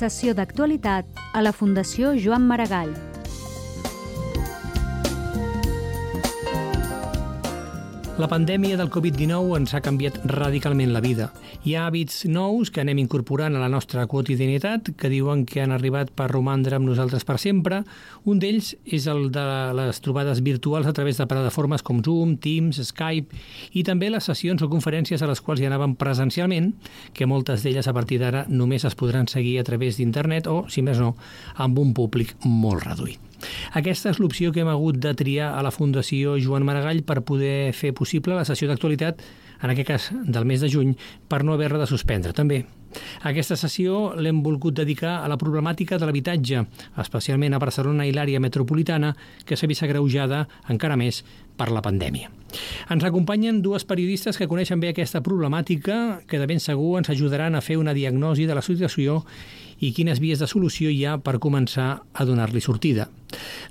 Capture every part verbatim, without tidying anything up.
Sessió d'actualitat a la Fundació Joan Maragall. La pandèmia del covid dinou ens ha canviat radicalment la vida. Hi ha hàbits nous que anem incorporant a la nostra quotidianitat que diuen que han arribat per romandre amb nosaltres per sempre. Un d'ells és el de les trobades virtuals a través de plataformes com Zoom, Teams, Skype i també les sessions o conferències a les quals hi anàvem presencialment, que moltes d'elles a partir d'ara només es podran seguir a través d'internet o, si més no, amb un públic molt reduït. Aquesta és l'opció que hem hagut de triar a la Fundació Joan Maragall per poder fer possible la sessió d'actualitat, en aquest cas del mes de juny, per no haver-la de suspendre també. Aquesta sessió l'hem volgut dedicar a la problemàtica de l'habitatge, especialment a Barcelona i l'àrea metropolitana, que s'ha vist agreujada encara més per la pandèmia. Ens acompanyen dues periodistes que coneixen bé aquesta problemàtica, que de ben segur ens ajudaran a fer una diagnosi de la situació i quines vies de solució hi ha per començar a donar-li sortida.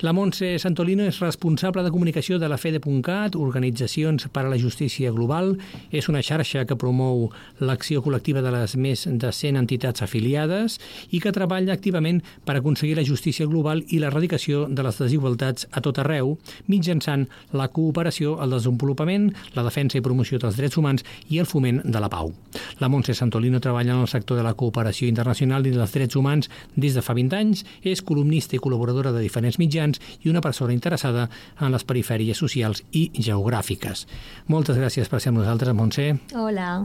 La Montse Santolino és responsable de comunicació de la Fede punt cat, Organitzacions per a la Justícia Global. És una xarxa que promou l'acció col·lectiva de les més de cent entitats afiliades i que treballa activament per aconseguir la justícia global i l'erradicació de les desigualtats a tot arreu, mitjançant la cooperació, el desenvolupament, la defensa i promoció dels drets humans i el foment de la pau. La Montse Santolino treballa en el sector de la cooperació internacional i dels drets humans des de fa vint anys, és columnista i col·laboradora de diferents mitjans i una persona interessada en les perifèries socials i geogràfiques. Moltes gràcies per ser amb nosaltres, Montse. Hola.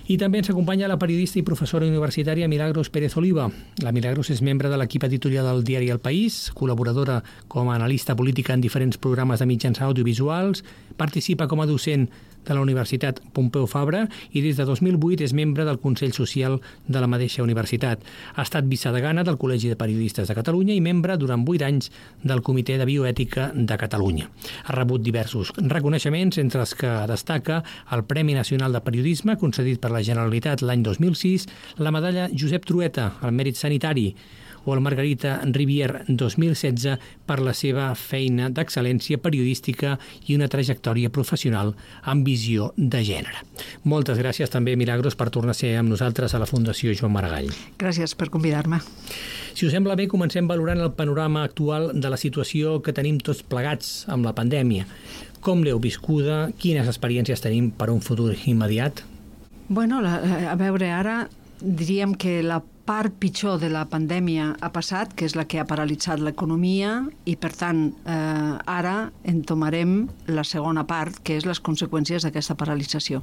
I també ens acompanya la periodista i professora universitària Milagros Pérez Oliva. La Milagros és membre de l'equip editorial del diari El País, col·laboradora com a analista política en diferents programes de mitjans audiovisuals, participa com a docent de la Universitat Pompeu Fabra i des de dos mil vuit és membre del Consell Social de la mateixa universitat. Ha estat vicedegana del Col·legi de Periodistes de Catalunya i membre durant vuit anys del Comitè de Bioètica de Catalunya. Ha rebut diversos reconeixements, entre els que destaca el Premi Nacional de Periodisme, concedit per la Generalitat l'any dos mil sis, la medalla Josep Trueta al Mèrit Sanitari o el Margarita Rivière dos mil setze per la seva feina d'excel·lència periodística i una trajectòria professional amb visió de gènere. Moltes gràcies també, Milagros, per tornar a ser amb nosaltres a la Fundació Joan Maragall. Gràcies per convidar-me. Si us sembla bé, comencem valorant el panorama actual de la situació que tenim tots plegats amb la pandèmia. Com l'heu viscuda? Quines experiències tenim per un futur immediat? Bueno, la, a veure, ara diríem que la part pitjor de la pandèmia ha passat, que és la que ha paralitzat l'economia i, per tant, eh, ara entomarem la segona part, que és les conseqüències d'aquesta paralització.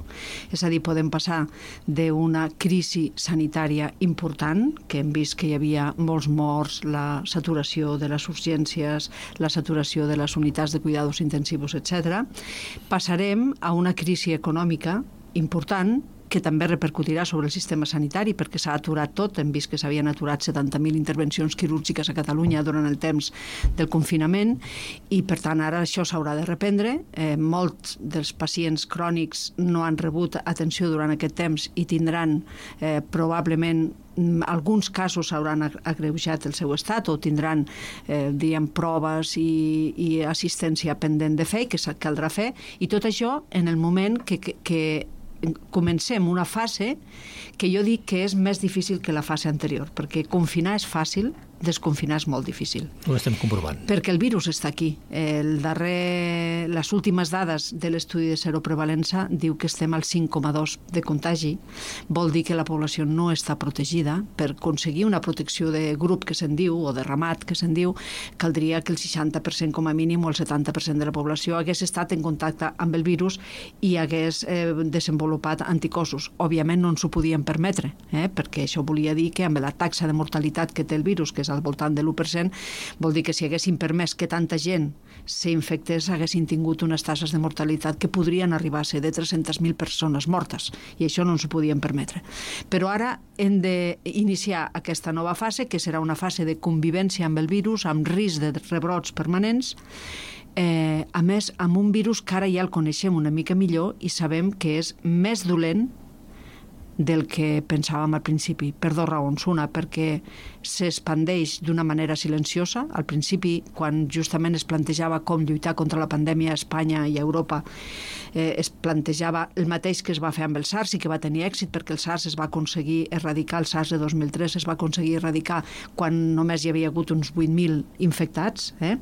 És a dir, podem passar d'una crisi sanitària important, que hem vist que hi havia molts morts, la saturació de les urgències, la saturació de les unitats de cuidados intensivos, etcètera. Passarem a una crisi econòmica important, que també repercutirà sobre el sistema sanitari perquè s'ha aturat tot. Hem vist que s'havien aturat setanta mil intervencions quirúrgiques a Catalunya durant el temps del confinament i, per tant, ara això s'haurà de reprendre. Eh, molts dels pacients crònics no han rebut atenció durant aquest temps i tindran eh, probablement alguns casos hauran agreujat el seu estat o tindran eh, diguem, proves i, i assistència pendent de fer, que caldrà fer, i tot això en el moment que, que, que comencem una fase que jo dic que és més difícil que la fase anterior, perquè confinar és fàcil, desconfinar és molt difícil. Ho estem comprovant. Perquè el virus està aquí. El darrer, les últimes dades de l'estudi de seroprevalença diu que estem al cinc coma dos de contagi. Vol dir que la població no està protegida. Per aconseguir una protecció de grup, que se'n diu, o de ramat, que se'n diu, caldria que el seixanta per cent com a mínim o el setanta per cent de la població hagués estat en contacte amb el virus i hagués eh, desenvolupat anticossos. Òbviament no ens ho podíem permetre, eh? perquè això volia dir que amb la taxa de mortalitat que té el virus, que és al voltant de l'u per cent, vol dir que si haguessin permès que tanta gent s'infectés, haguessin tingut unes taxes de mortalitat que podrien arribar a ser de tres-centes mil persones mortes, i això no ens ho podíem permetre. Però ara hem d'iniciar aquesta nova fase, que serà una fase de convivència amb el virus, amb risc de rebrots permanents, eh, a més, amb un virus que ara ja el coneixem una mica millor i sabem que és més dolent del que pensàvem al principi, per dues raons. Una, perquè s'expandeix d'una manera silenciosa. Al principi, quan justament es plantejava com lluitar contra la pandèmia a Espanya i a Europa, eh, es plantejava el mateix que es va fer amb el SARS i que va tenir èxit, perquè el SARS es va aconseguir erradicar, el SARS de dos mil tres es va aconseguir erradicar quan només hi havia hagut uns vuit mil infectats, eh?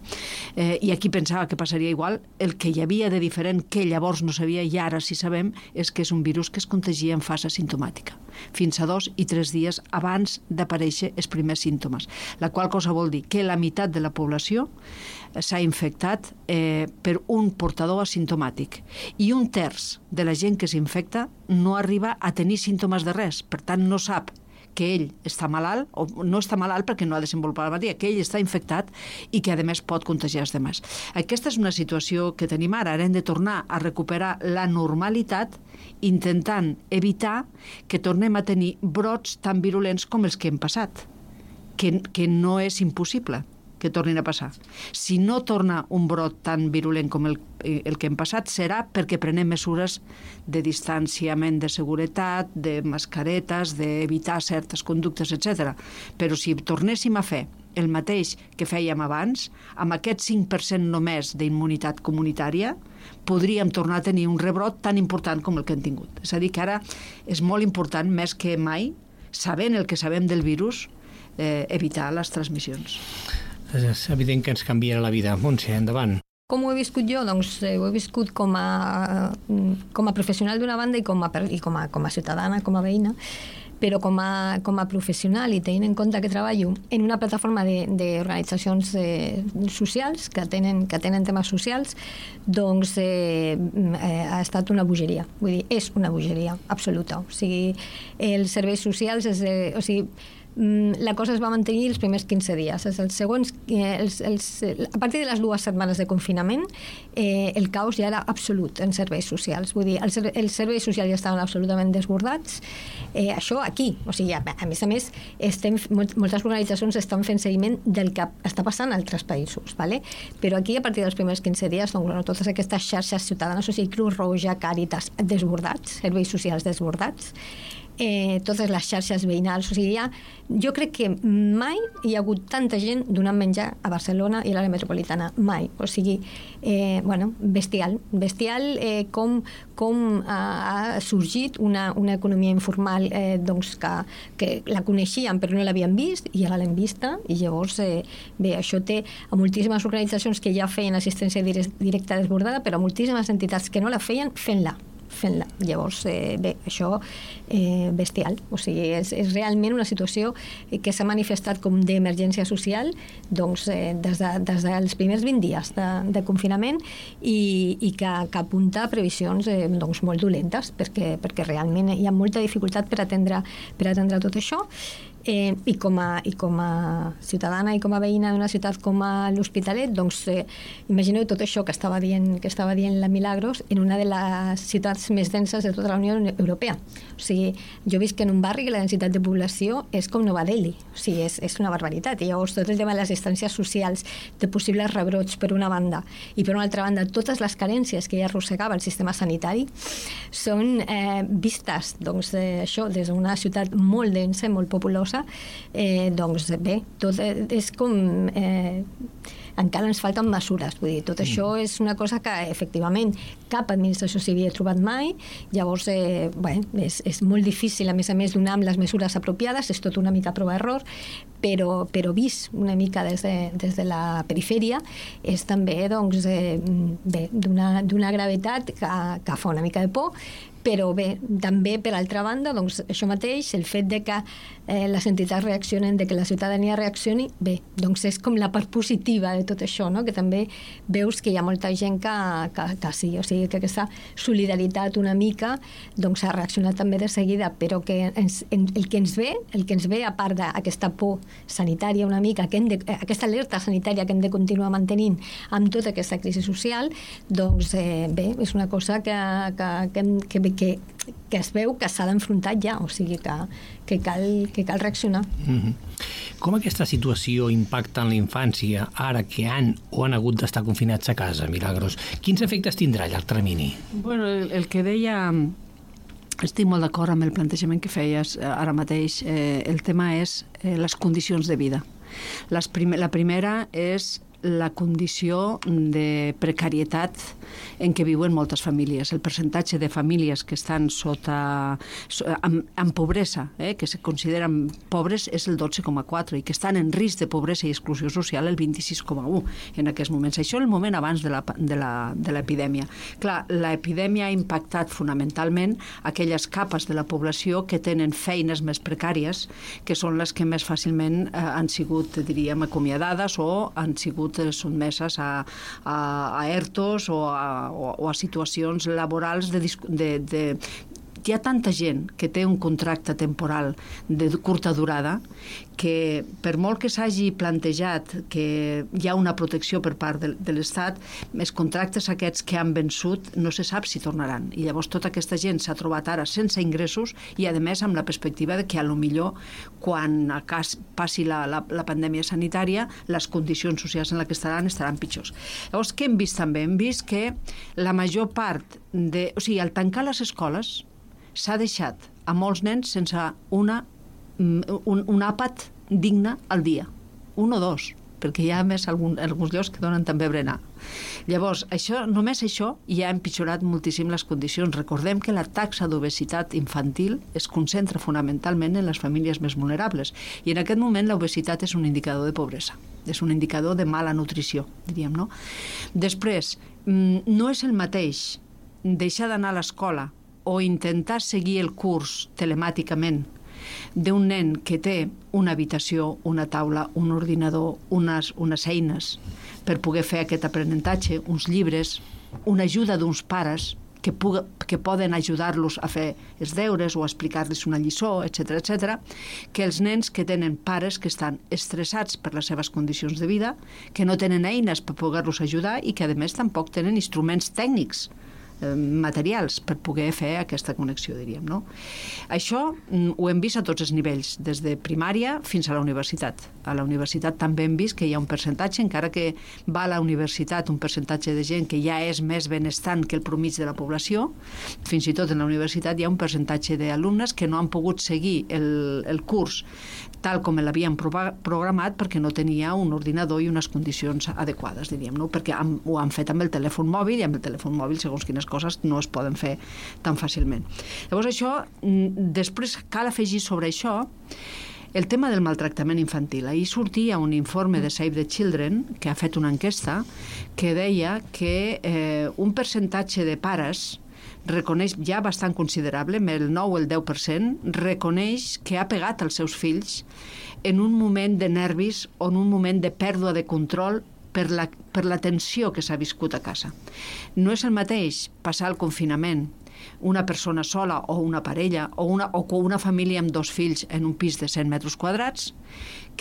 Eh, i aquí pensava que passaria igual. El que hi havia de diferent, que llavors no sabia i ara sí sabem, és que és un virus que es contagia en fase asimptomàtica, fins a dos i tres dies abans d'aparèixer els primers símptomes, la qual cosa vol dir que la meitat de la població s'ha infectat eh, per un portador asimptomàtic i un terç de la gent que s'infecta no arriba a tenir símptomes de res, per tant no sap que ell està malalt, o no està malalt perquè no ha desenvolupat la malaltia, que ell està infectat i que a més pot contagiar els demés. Aquesta és una situació que tenim ara, ara hem de tornar a recuperar la normalitat intentant evitar que tornem a tenir brots tan virulents com els que hem passat, que, que no és impossible que tornin a passar. Si no torna un brot tan virulent com el, el que hem passat, serà perquè prenem mesures de distanciament de seguretat, de mascaretes, d'evitar certes conductes, etcètera. Però si tornéssim a fer el mateix que fèiem abans, amb aquest cinc per cent només d'immunitat comunitària, podríem tornar a tenir un rebrot tan important com el que hem tingut. És a dir, que ara és molt important, més que mai, sabent el que sabem del virus, eh, evitar les transmissions. És evident que ens canviarà la vida. Montse, endavant. Com ho he viscut jo? Doncs eh, ho he viscut com a, com a professional d'una banda i com a, i com a, com a ciutadana, com a veïna, però com a, com a professional i tenint en compte que treballo en una plataforma d'organitzacions eh, socials que tenen, que tenen temes socials, doncs eh, eh, ha estat una bogeria. Vull dir, és una bogeria absoluta. O sigui, els serveis socials, és, eh, o sigui, la cosa es va mantenir els primers quinze dies. Els segons, els, els, a partir de les dues setmanes de confinament, eh, el caos ja era absolut en serveis socials. Vull dir, els, els serveis socials ja estaven absolutament desbordats. Eh, això aquí, o sigui, a, a més a més, estem, moltes organitzacions estan fent seguiment del que està passant a altres països, ¿vale? Però aquí, a partir dels primers quinze dies, doncs, bueno, totes aquestes xarxes ciutadanes, o sigui, Cruz Roja, Càritas, desbordats, serveis socials desbordats, Eh, totes les xarxes veïnals, o sigui, ja, jo crec que mai hi ha hagut tanta gent donant menjar a Barcelona i a l'àrea metropolitana, mai, o sigui, eh, bueno, bestial, bestial eh, com, com ha, ha sorgit una, una economia informal eh, doncs que, que la coneixien però no l'havien vist i ara l'hem vista i llavors, eh, bé, això té a moltíssimes organitzacions que ja feien assistència directa desbordada, però a moltíssimes entitats que no la feien, fent-la fent-la. Llavors, eh, bé, això eh, bestial. O sigui, és, és realment una situació que s'ha manifestat com d'emergència social doncs, eh, des, de, des dels primers vint dies de, de confinament i, i que, que apunta a previsions eh, doncs, molt dolentes perquè, perquè realment hi ha molta dificultat per atendre, per atendre tot això. Eh, i, com a, i com a ciutadana i com a veïna d'una ciutat com a l'Hospitalet, doncs eh, imagineu tot això que estava dient, que estava dient la Milagros en una de les ciutats més denses de tota la Unió Europea. O sigui, jo visc en un barri que la densitat de població és com Nova Delhi, o sigui, és, és una barbaritat. I llavors tot el tema de les distàncies socials, de possibles rebrots per una banda i per una altra banda totes les carències que ja arrossegava el sistema sanitari són eh, vistes doncs, eh, això, des d'una ciutat molt densa, molt populosa. Eh, doncs bé, tot és com eh, encara ens falten mesures, vull dir, tot mm. això és una cosa que efectivament cap administració s'hi havia trobat mai, llavors eh, bé, és, és molt difícil a més a més donar amb les mesures apropiades, és tot una mica prova-error, però, però vist una mica des de, des de la perifèria és també doncs, eh, bé, d'una, d'una gravetat que, que fa una mica de por, però bé, també per altra banda doncs això mateix, el fet de que eh, les entitats reaccionen, de que la ciutadania reaccioni, bé, doncs és com la part positiva de tot això, no? Que també veus que hi ha molta gent que, que, que sí, o sigui que aquesta solidaritat una mica doncs ha reaccionat també de seguida, però que ens, en, el que ens ve, el que ens ve a part d'aquesta por sanitària una mica, que hem de, aquesta alerta sanitària que hem de continuar mantenint amb tota aquesta crisi social, doncs eh, bé, és una cosa que, que, que, que Que, que es veu que s'ha d'enfrontar ja, o sigui que, que, cal, que cal reaccionar. Mm-hmm. Com aquesta situació impacta en la infància ara que han o han hagut d'estar confinats a casa, Milagros? Quins efectes tindrà a llarg termini? Bueno, el, el que deia... Estic molt d'acord amb el plantejament que feies ara mateix. Eh, el tema és eh, les condicions de vida. Les prim- la primera és la condició de precarietat en què viuen moltes famílies. El percentatge de famílies que estan sota amb, amb pobresa, eh, que se consideren pobres, és el dotze coma quatre i que estan en risc de pobresa i exclusió social el vint-i-sis coma u en aquests moments. Això és el moment abans de la, de la, de l'epidèmia. Clar, l'epidèmia ha impactat fonamentalment aquelles capes de la població que tenen feines més precàries, que són les que més fàcilment eh, han sigut, diríem, acomiadades o han sigut sotmeses a, a, a ERTOs o a, o, o a situacions laborals de, de, de... Hi ha tanta gent que té un contracte temporal de curta durada que per molt que s'hagi plantejat que hi ha una protecció per part de, de l'Estat, els contractes aquests que han vençut no se sap si tornaran. I llavors tota aquesta gent s'ha trobat ara sense ingressos i a més amb la perspectiva de que a lo millor quan a cas passi la, la, la pandèmia sanitària les condicions socials en les que estaran estaran pitjors. Llavors què hem vist també? Hem vist que la major part de... O sigui, al tancar les escoles s'ha deixat a molts nens sense una, un, un àpat digne al dia. Un o dos, perquè hi ha més algun, alguns llocs que donen també berenar. Llavors, això, només això ja ha empitjorat moltíssim les condicions. Recordem que la taxa d'obesitat infantil es concentra fonamentalment en les famílies més vulnerables i en aquest moment l'obesitat és un indicador de pobresa, és un indicador de mala nutrició, diríem, no? Després, no és el mateix deixar d'anar a l'escola o intentar seguir el curs telemàticament d'un nen que té una habitació, una taula, un ordinador, unes, unes eines per poder fer aquest aprenentatge, uns llibres, una ajuda d'uns pares que, puga, que poden ajudar-los a fer els deures o a explicar-los una lliçó, etcètera, etcètera, que els nens que tenen pares que estan estressats per les seves condicions de vida, que no tenen eines per poder-los ajudar i que, a més, tampoc tenen instruments tècnics materials per poder fer aquesta connexió, diríem, no? Això ho hem vist a tots els nivells, des de primària fins a la universitat. A la universitat també hem vist que hi ha un percentatge, encara que va a la universitat un percentatge de gent que ja és més benestant que el promig de la població, fins i tot en la universitat hi ha un percentatge d'alumnes que no han pogut seguir el, el curs tal com l'havien programat perquè no tenia un ordinador i unes condicions adequades, diríem, no? Perquè han, ho han fet amb el telèfon mòbil i amb el telèfon mòbil, segons quines coses, no es poden fer tan fàcilment. Llavors això, després cal afegir sobre això el tema del maltractament infantil. Ahir sortia un informe de Save the Children que ha fet una enquesta que deia que eh, un percentatge de pares reconeix, ja bastant considerable, el nou o el deu per cent, reconeix que ha pegat als seus fills en un moment de nervis o en un moment de pèrdua de control per la, per la tensió que s'ha viscut a casa. No és el mateix passar el confinament una persona sola o una parella o una, o una família amb dos fills en un pis de cent metres quadrats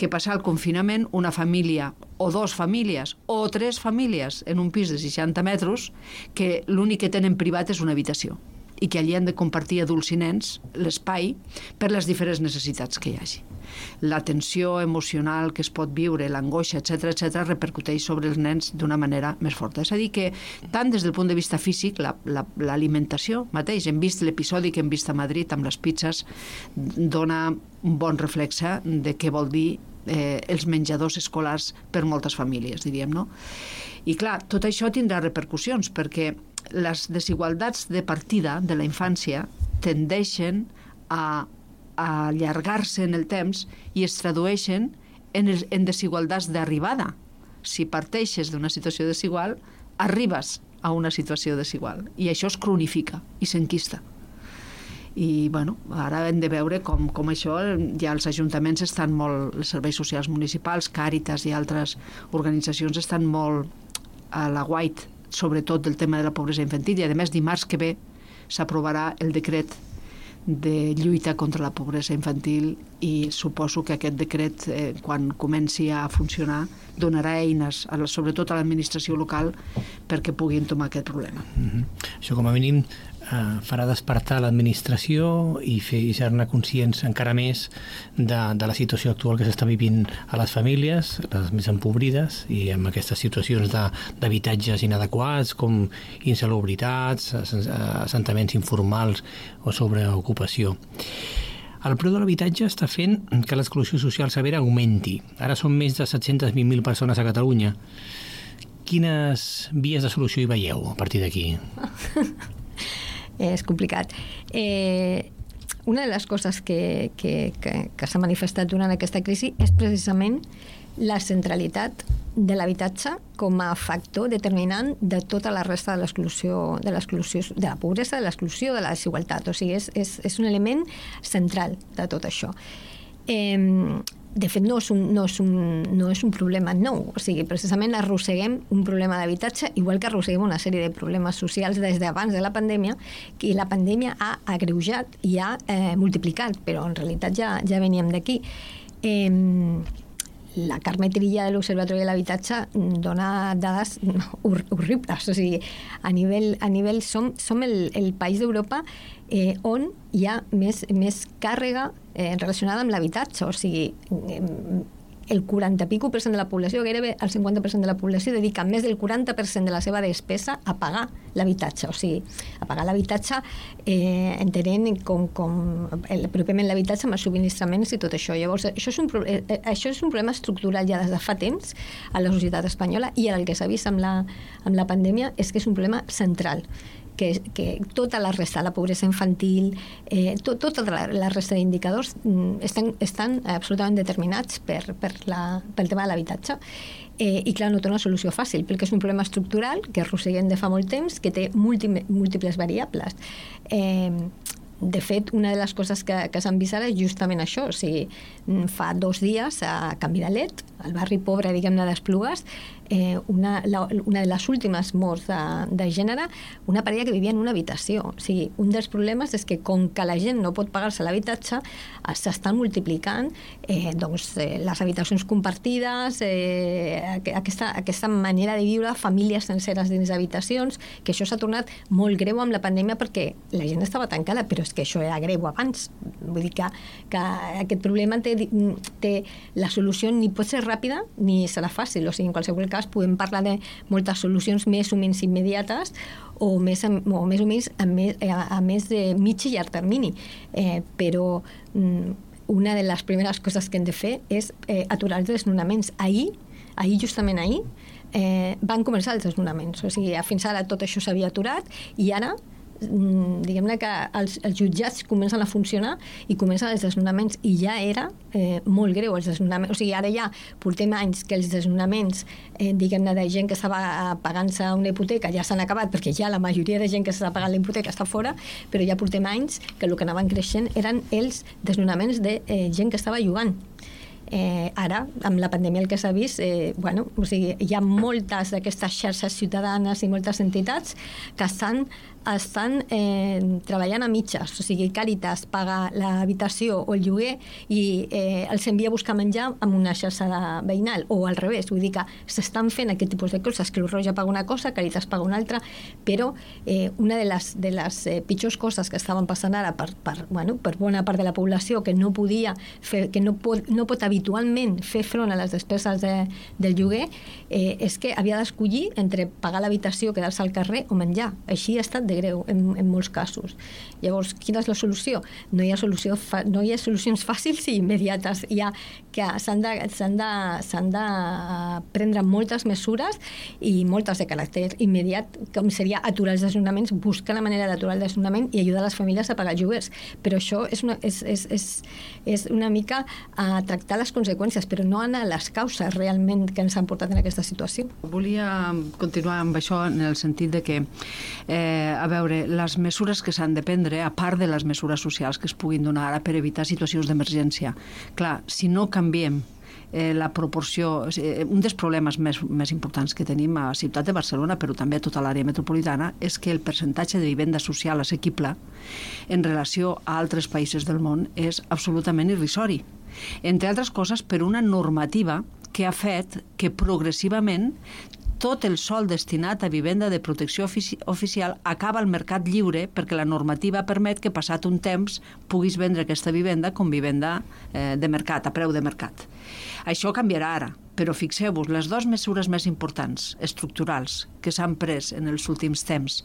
que passar el confinament una família o dos famílies o tres famílies en un pis de seixanta metres que l'únic que tenen privat és una habitació i que allí han de compartir adults i nens l'espai per les diferents necessitats que hi hagi. La tensió emocional que es pot viure, l'angoixa, etcètera, etcètera, repercuteix sobre els nens d'una manera més forta. És a dir que, tant des del punt de vista físic, la, la, l'alimentació mateix, hem vist l'episodi que hem vist a Madrid amb les pizzas, dona un bon reflexe de què vol dir eh, els menjadors escolars per moltes famílies, diríem, no? I clar, tot això tindrà repercussions, perquè les desigualtats de partida de la infància tendeixen a, a allargar-se en el temps i es tradueixen en, el, en desigualtats d'arribada. Si parteixes d'una situació desigual, arribes a una situació desigual i això es cronifica i s'enquista. I bueno, ara hem de veure com, com això, ja els ajuntaments estan molt, els serveis socials municipals, Càritas i altres organitzacions estan molt a la guait, sobretot del tema de la pobresa infantil, i a més dimarts que ve s'aprovarà el decret de lluita contra la pobresa infantil i suposo que aquest decret, eh, quan comenci a funcionar, donarà eines, a la, sobretot a l'administració local, perquè puguin tomar aquest problema. Mm-hmm. Això, com a mínim, eh, farà despertar l'administració i fer-ne conscients encara més de, de la situació actual que s'està vivint a les famílies, les més empobrides, i amb aquestes situacions de, d'habitatges inadequats, com insalubritats, assentaments informals o sobreocupació. El preu de l'habitatge està fent que l'exclusió social severa augmenti. Ara són més de set-cents vint mil persones a Catalunya. Quines vies de solució hi veieu a partir d'aquí? És complicat. Eh, una de les coses que, que, que, que s'ha manifestat durant aquesta crisi és precisament la centralitat de l'habitatge com a factor determinant de tota la resta de l'exclusió, de l'exclusió, de la pobresa, de l'exclusió, de la desigualtat. O sigui, és, és, és un element central de tot això. Eh, de fet, no és, un, no, és un, no és un problema nou. O sigui, precisament arrosseguem un problema d'habitatge, igual que arrosseguem una sèrie de problemes socials des d'abans de la pandèmia, que la pandèmia ha agreujat i ha eh, multiplicat, però en realitat ja, ja veníem d'aquí. Eh, La Carme Trilla de l'Observatori de l'Habitatge dona dades hor horribles. O sigui, a nivell, a nivell som, som el, el país d'Europa eh, on hi ha més, més càrrega eh, relacionada amb l'habitatge. O sigui, eh, el quaranta pico per cent de la població, gairebé el cinquanta per cent de la població, dedica més del quaranta per cent de la seva despesa a pagar l'habitatge. O sigui, a pagar l'habitatge eh, entenent com, com el, pròpiament l'habitatge amb els subministraments i tot això. Llavors, això és, un, eh, això és un problema estructural ja des de fa temps a la societat espanyola, i el que s'ha vist amb la, amb la pandèmia és que és un problema central. Que, que tota la resta, la pobresa infantil, eh, to, tota la, la resta d'indicadors estan, estan absolutament determinats per, per la, pel tema de l'habitatge. Eh, I clar, no té una solució fàcil, perquè és un problema estructural que arrosseguem de fa molt temps, que té múltiples, múltiples variables. Eh, De fet, una de les coses que, que s'han vist ara és justament això. O sigui, fa dos dies a Can Vidalet, al barri pobre, diguem-ne, d'Esplugues, eh, una, la, una de les últimes morts de, de gènere, una parella que vivia en una habitació. O sigui, un dels problemes és que com que la gent no pot pagar-se l'habitatge, s'estan multiplicant eh, doncs, eh, les habitacions compartides, eh, aquesta, aquesta manera de viure, famílies senceres dins d'habitacions, que això s'ha tornat molt greu amb la pandèmia perquè la gent estava tancada, però és que això era greu abans. Vull dir que, que aquest problema té, té la solució ni pot ser ràpida ni serà fàcil. O sigui, en qualsevol cas podem parlar de moltes solucions més o menys immediates o més, o més o menys a més, a, a més de mig i llarg termini. Eh, però mm, una de les primeres coses que hem de fer és eh, aturar els desnonaments. Ahir, ahir justament ahir, eh, van començar els desnonaments. O sigui, fins ara tot això s'havia aturat i ara diguem-ne que els, els jutjats comencen a funcionar i comencen els desnonaments, i ja era eh, molt greu els desnonaments. O sigui, ara ja portem anys que els desnonaments eh, diguem-ne de gent que estava pagant-se una hipoteca ja s'han acabat, perquè ja la majoria de gent que s'està pagant la hipoteca està fora, però ja portem anys que el que anaven creixent eren els desnonaments de eh, gent que estava llogant. Eh, ara, amb la pandèmia el que s'ha vist, eh, bueno, o sigui, hi ha moltes d'aquestes xarxes ciutadanes i moltes entitats que estan, estan eh, treballant a mitges. O sigui, Càritas paga l'habitació o el lloguer i eh, els envia a buscar menjar amb una xarxa de veïnal, o al revés. Vull dir que s'estan fent aquest tipus de coses. Creu Roja paga una cosa, Càritas paga una altra, però eh, una de les, de les eh, pitjors coses que estaven passant ara per, per, bueno, per bona part de la població que no podia fer, que no pot, no pot habitualment fer front a les despeses de, del lloguer, eh, és que havia d'escollir entre pagar l'habitació, quedar-se al carrer o menjar. Així ha estat de greu en, en molts casos. Llavors, quina és la solució? No hi ha, solució fa, no hi ha solucions fàcils i immediates. Hi ha que s'han de, s'han de, s'han de prendre moltes mesures i moltes de caràcter immediat, com seria aturar els desnonaments, buscar la manera d'aturar el desnonament i ajudar les famílies a pagar lloguers. Però això és una, és, és, és, és una mica a tractar les conseqüències, però no anar a les causes realment que ens han portat en aquesta situació. Volia continuar amb això en el sentit de que eh, a veure, les mesures que s'han de prendre, a part de les mesures socials que es puguin donar ara per evitar situacions d'emergència. Clar, si no canviem eh, la proporció... Eh, un dels problemes més, més importants que tenim a la ciutat de Barcelona, però també a tota l'àrea metropolitana, és que el percentatge de vivenda social assequible en relació a altres països del món és absolutament irrisori. Entre altres coses, per una normativa que ha fet que progressivament tot el sòl destinat a vivenda de protecció ofici oficial acaba al mercat lliure, perquè la normativa permet que, passat un temps, puguis vendre aquesta vivenda com vivenda eh, de mercat, a preu de mercat. Això canviarà ara, però fixeu-vos, les dues mesures més importants, estructurals, que s'han pres en els últims temps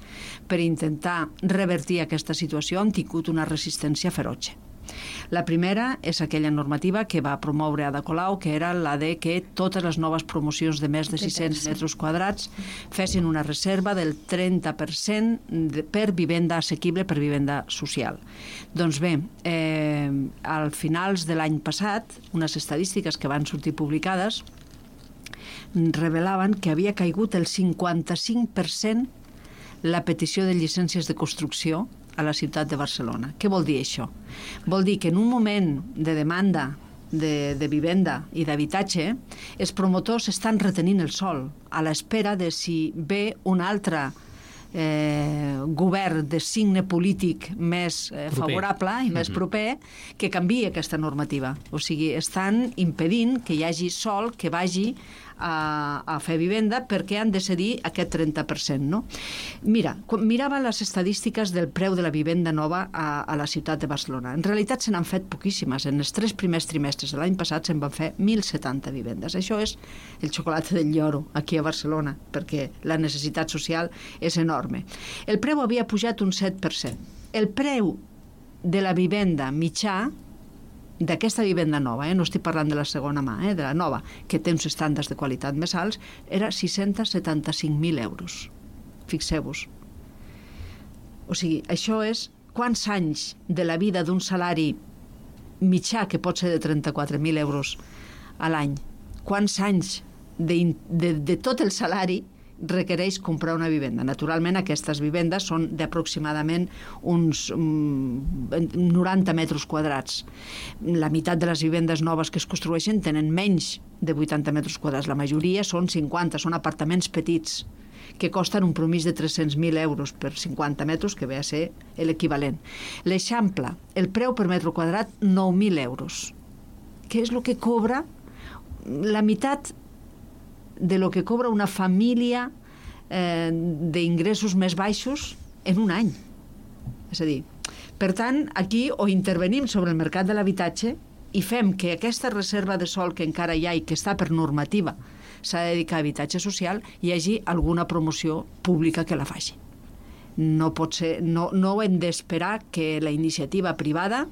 per intentar revertir aquesta situació han tingut una resistència ferotge. La primera és aquella normativa que va promoure Ada Colau, que era la de que totes les noves promocions de més de sis-cents metres quadrats fessin una reserva del trenta per cent per vivenda assequible, per vivenda social. Doncs bé, eh, al finals de l'any passat, unes estadístiques que van sortir publicades revelaven que havia caigut el cinquanta-cinc per cent la petició de llicències de construcció a la ciutat de Barcelona. Què vol dir això? Vol dir que en un moment de demanda de, de vivenda i d'habitatge, els promotors estan retenint el sòl a l'espera de si ve un altre eh, govern de signe polític més eh, favorable i més proper que canviï aquesta normativa. O sigui, estan impedint que hi hagi sòl que vagi a, a fer vivenda perquè han de cedir aquest trenta per cent. No? Mira, quan mirava les estadístiques del preu de la vivenda nova a, a la ciutat de Barcelona. En realitat se n'han fet poquíssimes. En els tres primers trimestres de l'any passat se'n van fer mil setanta vivendes. Això és el xocolata del lloro aquí a Barcelona, perquè la necessitat social és enorme. El preu havia pujat un set per cent. El preu de la vivenda mitjà d'aquesta vivenda nova, eh? No estic parlant de la segona mà, eh? De la nova, que té uns estàndards de qualitat més alts, era sis-cents setanta-cinc mil euros. Fixeu-vos. O sigui, això és quants anys de la vida d'un salari mitjà, que pot ser de trenta-quatre mil euros a l'any, quants anys de, de, de tot el salari requereix comprar una vivenda. Naturalment, aquestes vivendes són d'aproximadament uns noranta metres quadrats. La meitat de les vivendes noves que es construeixen tenen menys de vuitanta metres quadrats. La majoria són cinquanta, són apartaments petits que costen un promís de tres-cents mil euros per cinquanta metres, que ve a ser l'equivalent. L'Eixample, el preu per metre quadrat, nou mil euros. Què és el que cobra la meitat de lo que cobra una família eh, d'ingressos més baixos en un any. És a dir, per tant, aquí o intervenim sobre el mercat de l'habitatge i fem que aquesta reserva de sòl que encara hi ha i que està per normativa s'ha de dedicar a habitatge social, hi hagi alguna promoció pública que la faci. No pot ser, no, no hem d'esperar que la iniciativa privada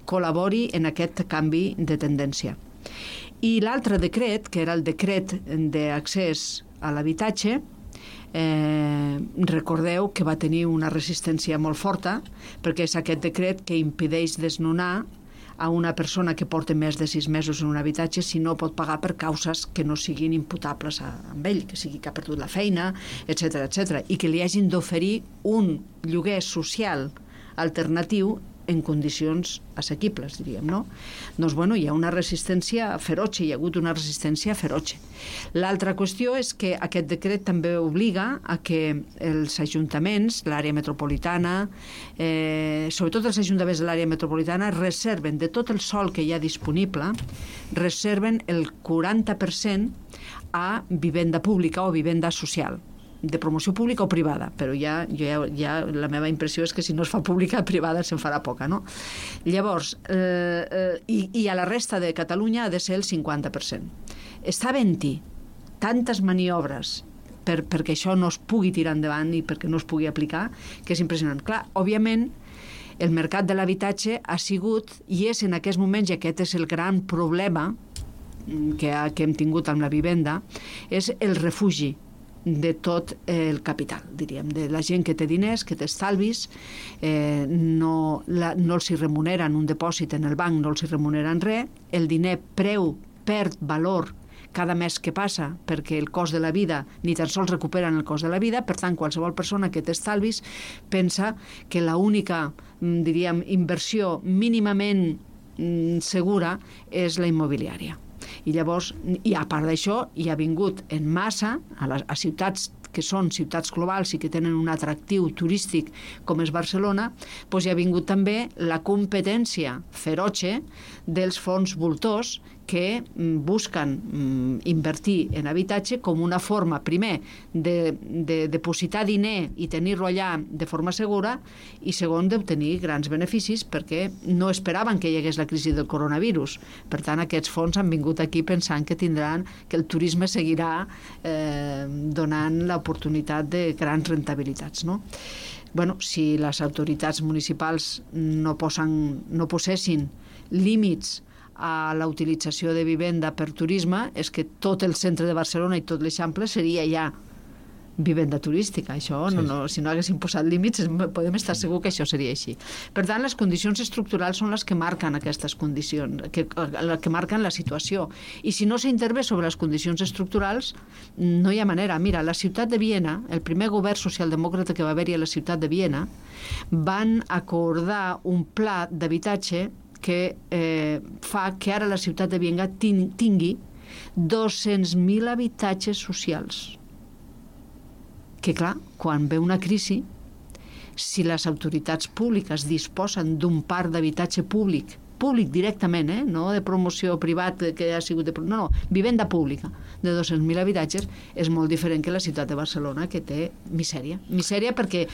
col·labori en aquest canvi de tendència. I l'altre decret, que era el decret d'accés a l'habitatge, eh, recordeu que va tenir una resistència molt forta, perquè és aquest decret que impedeix desnonar a una persona que porta més de sis mesos en un habitatge si no pot pagar per causes que no siguin imputables a, amb ell, que sigui que ha perdut la feina, etcètera, etcètera, i que li hagin d'oferir un lloguer social alternatiu en condicions assequibles, diríem, no? Doncs, bueno, hi ha una resistència feroce, hi ha hagut una resistència feroce. L'altra qüestió és que aquest decret també obliga a que els ajuntaments, l'àrea metropolitana, eh, sobretot els ajuntaments de l'àrea metropolitana, reserven de tot el sòl que hi ha disponible, reserven el quaranta per cent a vivenda pública o vivenda social, de promoció pública o privada, però ja, ja, ja la meva impressió és que si no es fa pública, privada se'n farà poca, no? Llavors, eh, eh, i, i a la resta de Catalunya ha de ser el cinquanta per cent. Està havent-hi tantes maniobres per, perquè això no es pugui tirar endavant i perquè no es pugui aplicar, que és impressionant. Clar, òbviament, el mercat de l'habitatge ha sigut, i és en aquests moments, i aquest és el gran problema que, ha, que hem tingut amb la vivenda, és el refugi de tot el capital, diríem, de la gent que té diners, que té estalvis, eh, no, la, no els hi remuneren un dipòsit en el banc, no els hi remuneren res, el diner preu perd valor cada mes que passa perquè el cost de la vida ni tan sols recuperen el cost de la vida, per tant, qualsevol persona que té estalvis pensa que l'única, diríem, inversió mínimament segura és la immobiliària. I llavors, i a part d'això, hi ha vingut en massa a, les, a ciutats que són ciutats globals i que tenen un atractiu turístic com és Barcelona, doncs hi ha vingut també la competència feroce dels fons voltors que busquen invertir en habitatge com una forma, primer, de, de depositar diner i tenir-lo allà de forma segura, i segon, d'obtenir grans beneficis, perquè no esperaven que hi hagués la crisi del coronavirus. Per tant, aquests fons han vingut aquí pensant que tindran, que el turisme seguirà eh, donant l'oportunitat de grans rentabilitats, no? Bueno, si les autoritats municipals no, posen, no possessin límits a la utilització de vivenda per turisme, és que tot el centre de Barcelona i tot l'Eixample seria ja vivenda turística. Això, sí. no, no, si no haguéssim posat límits, podem estar segur que això seria així. Per tant, les condicions estructurals són les que marquen aquestes condicions, que, que marquen la situació. I si no s'intervé sobre les condicions estructurals, no hi ha manera. Mira, la ciutat de Viena, el primer govern socialdemòcrata que va haver-hi a la ciutat de Viena, van acordar un pla d'habitatge que eh, fa que ara la ciutat de Viena tingui dos-cents mil habitatges socials. Que, clar, quan ve una crisi, si les autoritats públiques disposen d'un parc d'habitatge públic, públic directament, eh? No de promoció privat que ha sigut de... No, no, vivenda pública de dos-cents mil habitatges, és molt diferent que la ciutat de Barcelona, que té misèria. Misèria perquè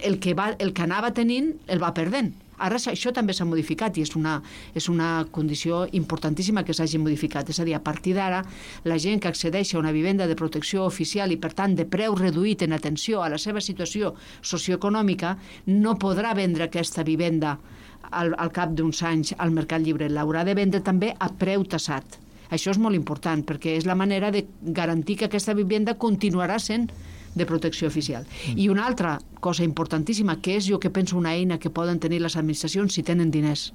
el que, va, el que anava tenint el va perdent. Ara això també s'ha modificat i és una, és una condició importantíssima que s'hagi modificat. És a dir, a partir d'ara, la gent que accedeix a una vivenda de protecció oficial i, per tant, de preu reduït en atenció a la seva situació socioeconòmica, no podrà vendre aquesta vivenda al, al cap d'uns anys al mercat lliure. L'haurà de vendre també a preu tassat. Això és molt important perquè és la manera de garantir que aquesta vivenda continuarà sent de protecció oficial. Mm. I una altra cosa importantíssima, que és jo que penso una eina que poden tenir les administracions si tenen diners,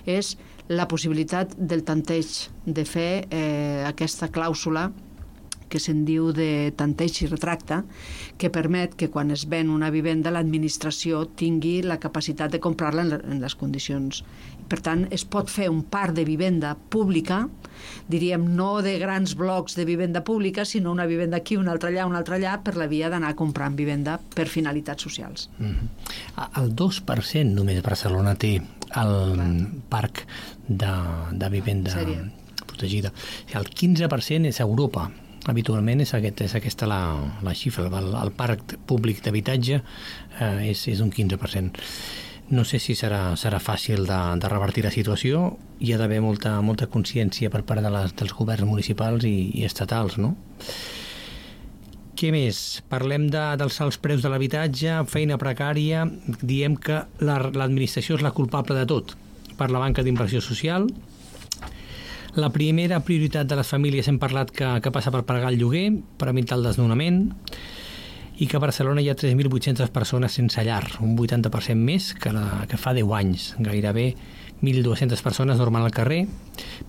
és la possibilitat del tanteig, de fer eh, aquesta clàusula que se'n diu de tanteig i retracte, que permet que quan es ven una vivenda l'administració tingui la capacitat de comprar-la en les condicions. Per tant, es pot fer un parc de vivenda pública, diríem, no de grans blocs de vivenda pública, sinó una vivenda aquí, una altra allà, una altra allà, per la via d'anar comprant vivenda per finalitats socials. Mm-hmm. El dos per cent només Barcelona té el Clar. parc de, de vivenda Sèrie. protegida. El quinze per cent és Europa. Habitualment és, aquest, és aquesta la, la xifra. El, el parc públic d'habitatge eh, és, és un quinze per cent. No sé si serà, serà fàcil de, de revertir la situació. Hi ha d'haver molta, molta consciència per part de les, dels governs municipals i, i estatals, no? Què més? Parlem de, dels alts preus de l'habitatge, feina precària. Diem que la, l'administració és la culpable de tot. Per la banca d'inversió social. La primera prioritat de les famílies hem parlat que, que passa per pagar el lloguer, per evitar el desnonament, i que a Barcelona hi ha tres mil vuit-centes persones sense llar, un vuitanta per cent més que, la, que fa deu anys. Gairebé mil dues-centes persones dormen al carrer.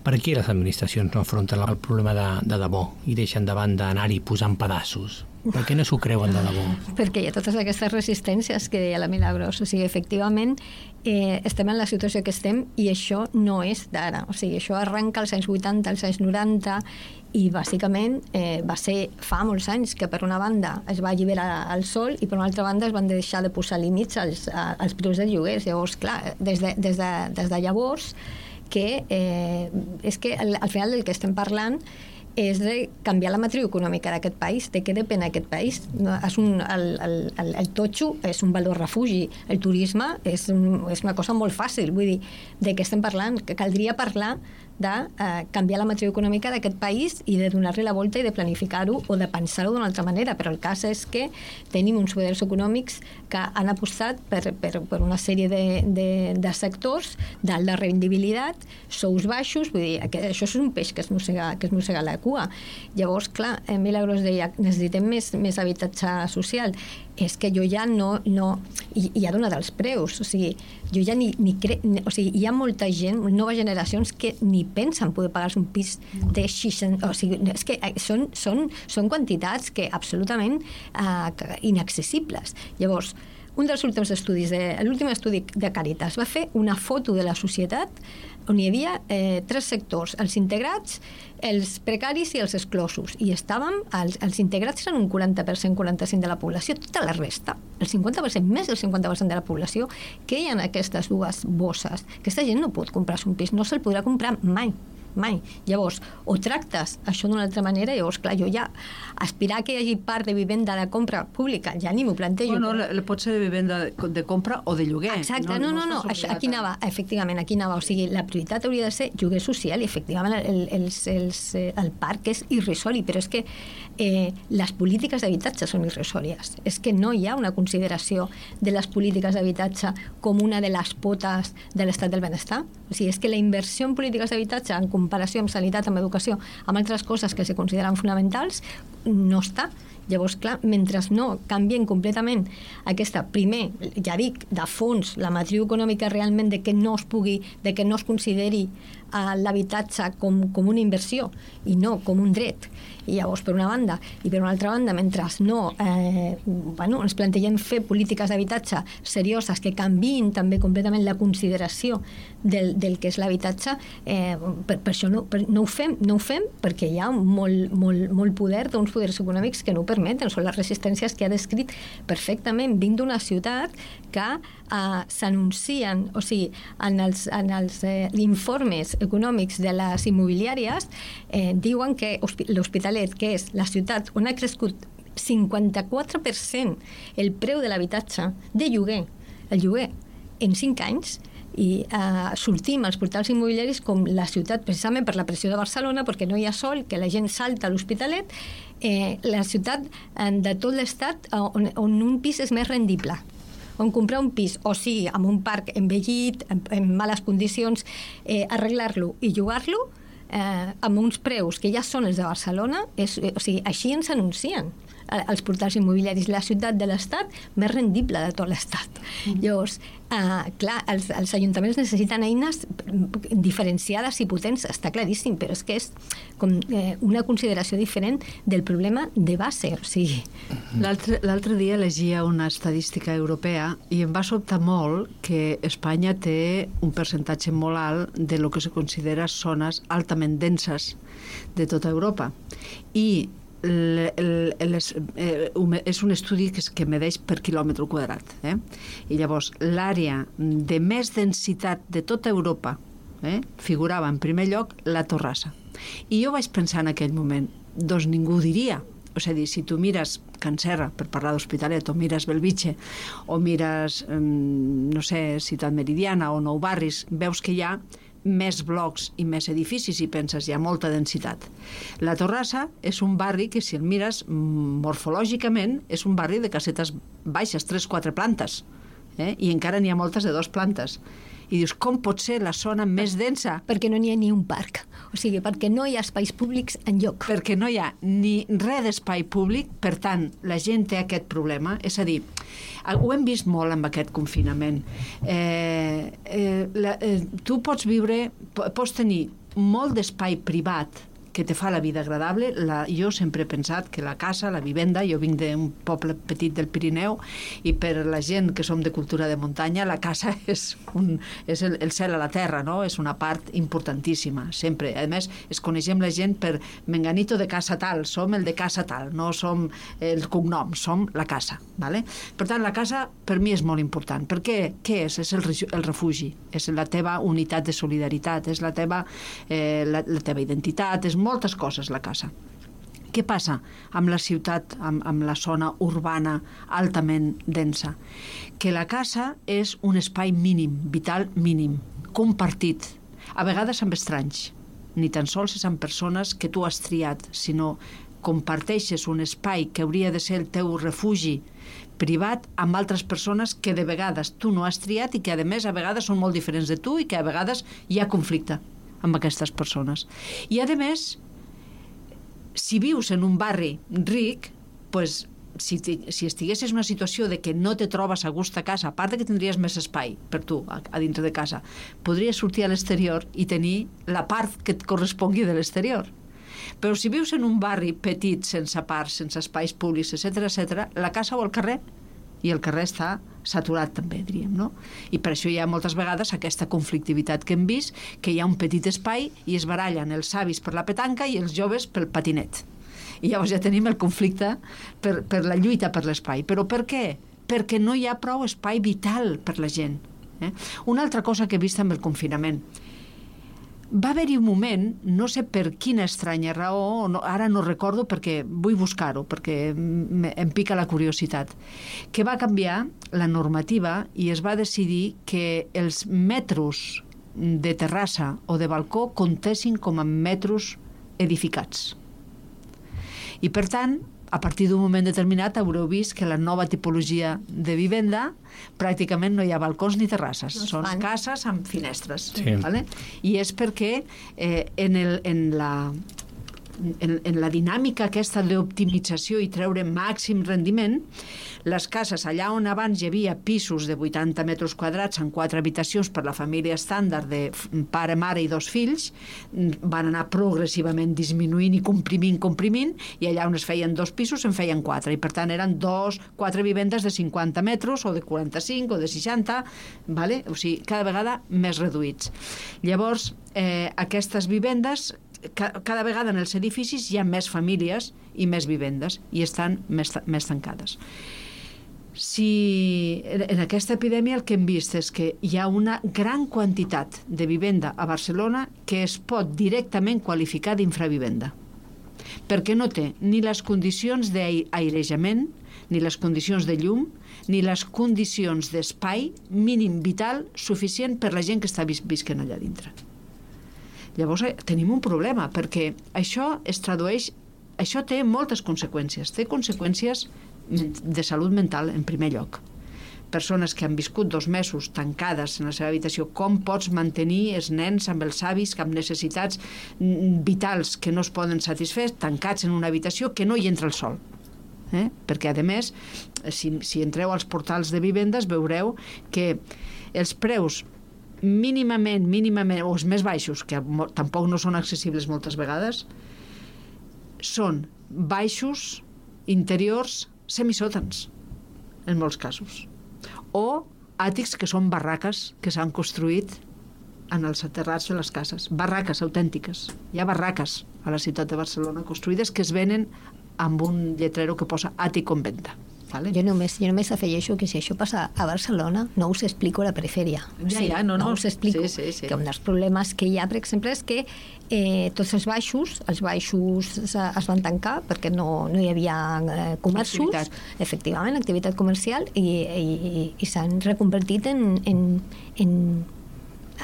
Per què les administracions no afronten el problema de, de debò i deixen de banda anar-hi posant pedaços? Per què no s'ho creuen de debò? Perquè hi ha totes aquestes resistències que deia la Milagros. O sigui, efectivament, eh, estem en la situació que estem i això no és d'ara. O sigui, això arrenca als anys vuitanta, als anys noranta i bàsicament eh, va ser fa molts anys que per una banda es va alliberar el sol i per una altra banda es van deixar de posar límits als, als preus de lloguers. Llavors, clar, des de, des de, des de llavors que eh, és que al, al final del que estem parlant és de canviar la matriu econòmica d'aquest país. De què depèn aquest país? No, és un, el, el, el, el totxo és un valor refugi. El turisme és, un, és una cosa molt fàcil. Vull dir, de què estem parlant? Que caldria parlar de eh, canviar la matriu econòmica d'aquest país i de donar-li la volta i de planificar-ho o de pensar-ho d'una altra manera. Però el cas és que tenim uns poders econòmics que han apostat per, per, per una sèrie de, de, de sectors d'alta rendibilitat, sous baixos, vull dir, que això és un peix que es mossega, que es mossega la cua. Llavors, clar, Milagros deia necessitem més, més habitatge social. És que jo ja no... no i, i ha donat els preus. O sigui, jo ja ni, ni cre... O sigui, hi ha molta gent, noves generacions, que ni pensen poder pagar-se un pis de seixanta... O sigui, és que són, són, són quantitats que absolutament eh, inaccessibles. Llavors, un dels últims estudis, de, l'últim estudi de Càritas va fer una foto de la societat on hi havia eh, tres sectors, els integrats, els precaris i els exclosos. I estàvem, els, els integrats eren un quaranta per cent, quaranta-cinc per cent de la població, tota la resta, el cinquanta per cent, més del cinquanta per cent de la població, que hi ha aquestes dues bosses. Aquesta gent no pot comprar-se un pis, no se'l podrà comprar mai. mai. Llavors, o tractes això d'una altra manera, llavors, clar, jo ja aspirar que hi hagi part de vivenda de compra pública, ja ni m'ho plantejo. Bueno, però... pot ser de vivenda de compra o de lloguer. Exacte, no, no, no, no. Això, aquí anava, efectivament, aquí anava, o sigui, la prioritat hauria de ser lloguer social i efectivament el, el, el, el parc és irrisori, però és que eh, les polítiques d'habitatge són irrisòries. És que no hi ha una consideració de les polítiques d'habitatge com una de les potes de l'estat del benestar. O sigui, és que la inversió en polítiques d'habitatge en comparació amb sanitat, amb educació, amb altres coses que se consideren fonamentals, no està. Llavors, clar, mentre no canvien completament aquesta, primer, ja dic, de fons, la matriu econòmica realment de que no es pugui, de que no es consideri uh, l'habitatge com, com una inversió i no com un dret. I llavors, per una banda, i per una altra banda, mentre no eh, bueno, ens plantegem fer polítiques d'habitatge serioses que canviïn també completament la consideració del, del que és l'habitatge, eh, per, per això no, per, no ho fem, no ho fem perquè hi ha molt, molt, molt poder d'uns poders econòmics que no ho permeten, són les resistències que ha descrit perfectament. Vinc d'una ciutat que eh, s'anuncien, o sigui, en els, en els eh, informes econòmics de les immobiliàries eh, diuen que l'Hospitalet, que és la ciutat on ha crescut cinquanta-quatre per cent el preu de l'habitatge de lloguer, el lloguer en cinc anys, i eh, sortim als portals immobiliaris com la ciutat, precisament per la pressió de Barcelona, perquè no hi ha sol, que la gent salta a l'Hospitalet, eh, la ciutat eh, de tot l'estat on, on un pis és més rendible, on comprar un pis, o sigui, amb un parc envellit, en, en males condicions, eh, arreglar-lo i llogar-lo, eh, amb uns preus que ja són els de Barcelona, és, eh, o sigui, així ens anuncien els portals immobiliaris, la ciutat de l'estat més rendible de tot l'estat. Mm. Llavors, eh, clar, els, els ajuntaments necessiten eines diferenciades i potents, està claríssim, però és que és com eh, una consideració diferent del problema de base. O sigui... L'altre dia llegia una estadística europea i em va sobtar molt que Espanya té un percentatge molt alt de lo que se considera zones altament denses de tota Europa. I El, el, el, eh, és un estudi que, que medeix per quilòmetre quadrat, eh? I llavors l'àrea de més densitat de tota Europa, eh, figurava en primer lloc la Torrassa, i jo vaig pensar en aquell moment, doncs ningú ho diria. O sigui, si tu mires Can Serra, per parlar d'Hospitalet, o mires Belvitge, o mires eh, no sé, Ciutat Meridiana o Nou Barris, veus que hi ha més blocs i més edificis i penses, hi ha molta densitat. La Torrassa és un barri que, si el mires morfològicament, és un barri de casetes baixes, tres quatre plantes, eh? I encara n'hi ha moltes de dues plantes. I dius, com pot ser la zona més densa? Perquè no n'hi ha ni un parc. O sigui, perquè no hi ha espais públics enlloc. Perquè no hi ha ni res d'espai públic, per tant, la gent té aquest problema. És a dir, ho hem vist molt amb aquest confinament. Eh, eh, la, eh, tu pots viure, pots tenir molt d'espai privat que te fa la vida agradable. La, jo sempre he pensat que la casa, la vivenda, jo vinc d'un poble petit del Pirineu i per la gent que som de cultura de muntanya, la casa és, un, és el, el cel a la terra, no? És una part importantíssima, sempre. A més, es coneixem la gent per menganito de casa tal, som el de casa tal, no som el cognom, som la casa. ¿Vale? Per tant, la casa per mi és molt important. Per què? Què és? És el, el refugi, és la teva unitat de solidaritat, és la teva, eh, la, la teva identitat, és moltes coses la casa. Què passa amb la ciutat, amb, amb la zona urbana altament densa? Que la casa és un espai mínim, vital mínim, compartit, a vegades amb estranys, ni tan sols és amb persones que tu has triat, sinó comparteixes un espai que hauria de ser el teu refugi privat amb altres persones que de vegades tu no has triat i que a més a vegades són molt diferents de tu i que a vegades hi ha conflicte amb aquestes persones. I a més, si vius en un barri ric, pues, si, si estiguessis en una situació de que no te trobes a gust a casa, a part de que tindries més espai per tu a, a dintre de casa, podries sortir a l'exterior i tenir la part que et correspongui de l'exterior. Però si vius en un barri petit, sense parcs, sense espais públics, etcètera, etcètera, la casa o el carrer, i el carrer està saturat també, diríem, no? I per això hi ha moltes vegades aquesta conflictivitat que hem vist, que hi ha un petit espai i es barallen els avis per la petanca i els joves pel patinet. I llavors ja tenim el conflicte per, per la lluita per l'espai. Però per què? Perquè no hi ha prou espai vital per la gent. Eh? Una altra cosa que he vist amb el confinament. va haver-hi un moment, no sé per quina estranya raó, no, ara no recordo perquè vull buscar-ho, perquè em pica la curiositat, que va canviar la normativa i es va decidir que els metros de terrassa o de balcó comptessin com a metros edificats. I per tant, a partir d'un moment determinat haureu vist que la nova tipologia de vivenda pràcticament no hi ha balcons ni terrasses, no són fan. Cases amb finestres. Sí. ¿Vale? I és perquè eh, en, el, en la en, en la dinàmica aquesta d'optimització i treure màxim rendiment, les cases allà on abans hi havia pisos de vuitanta metres quadrats amb quatre habitacions per la família estàndard de pare, mare i dos fills, van anar progressivament disminuint i comprimint, comprimint, i allà on es feien dos pisos en feien quatre, i per tant eren dos, quatre vivendes de cinquanta metres o de quaranta-cinc o de seixanta, vale? O sigui, cada vegada més reduïts. Llavors, eh, aquestes vivendes cada vegada en els edificis hi ha més famílies i més vivendes i estan més, més tancades. Si en aquesta epidèmia el que hem vist és que hi ha una gran quantitat de vivenda a Barcelona que es pot directament qualificar d'infravivenda, perquè no té ni les condicions d'airejament, ni les condicions de llum, ni les condicions d'espai mínim vital suficient per la gent que està vis visquent allà dintre. Llavors tenim un problema, perquè això es tradueix, això té moltes conseqüències, té conseqüències de salut mental en primer lloc. Persones que han viscut dos mesos tancades en la seva habitació, com pots mantenir els nens amb els avis amb necessitats vitals que no es poden satisfer tancats en una habitació que no hi entra el sol? Eh? Perquè a més, si, si entreu als portals de vivendes veureu que els preus mínimament, mínimament, o els més baixos, que tampoc no són accessibles moltes vegades, són baixos, interiors, semisòtans, en molts casos. O àtics que són barraques que s'han construït en els aterrats de les cases. Barraques autèntiques. Hi ha barraques a la ciutat de Barcelona construïdes que es venen amb un lletrero que posa àtic en venda. Vale. Jo, només, jo només afegeixo que si això passa a Barcelona no us explico la perifèria. Ja, ja, no, no. no us explico sí, sí, sí. que un dels problemes que hi ha, per exemple, és que eh, tots els baixos, els baixos es van tancar perquè no, no hi havia eh, comerços, activitat. efectivament, activitat comercial, i, i, i s'han reconvertit en, en, en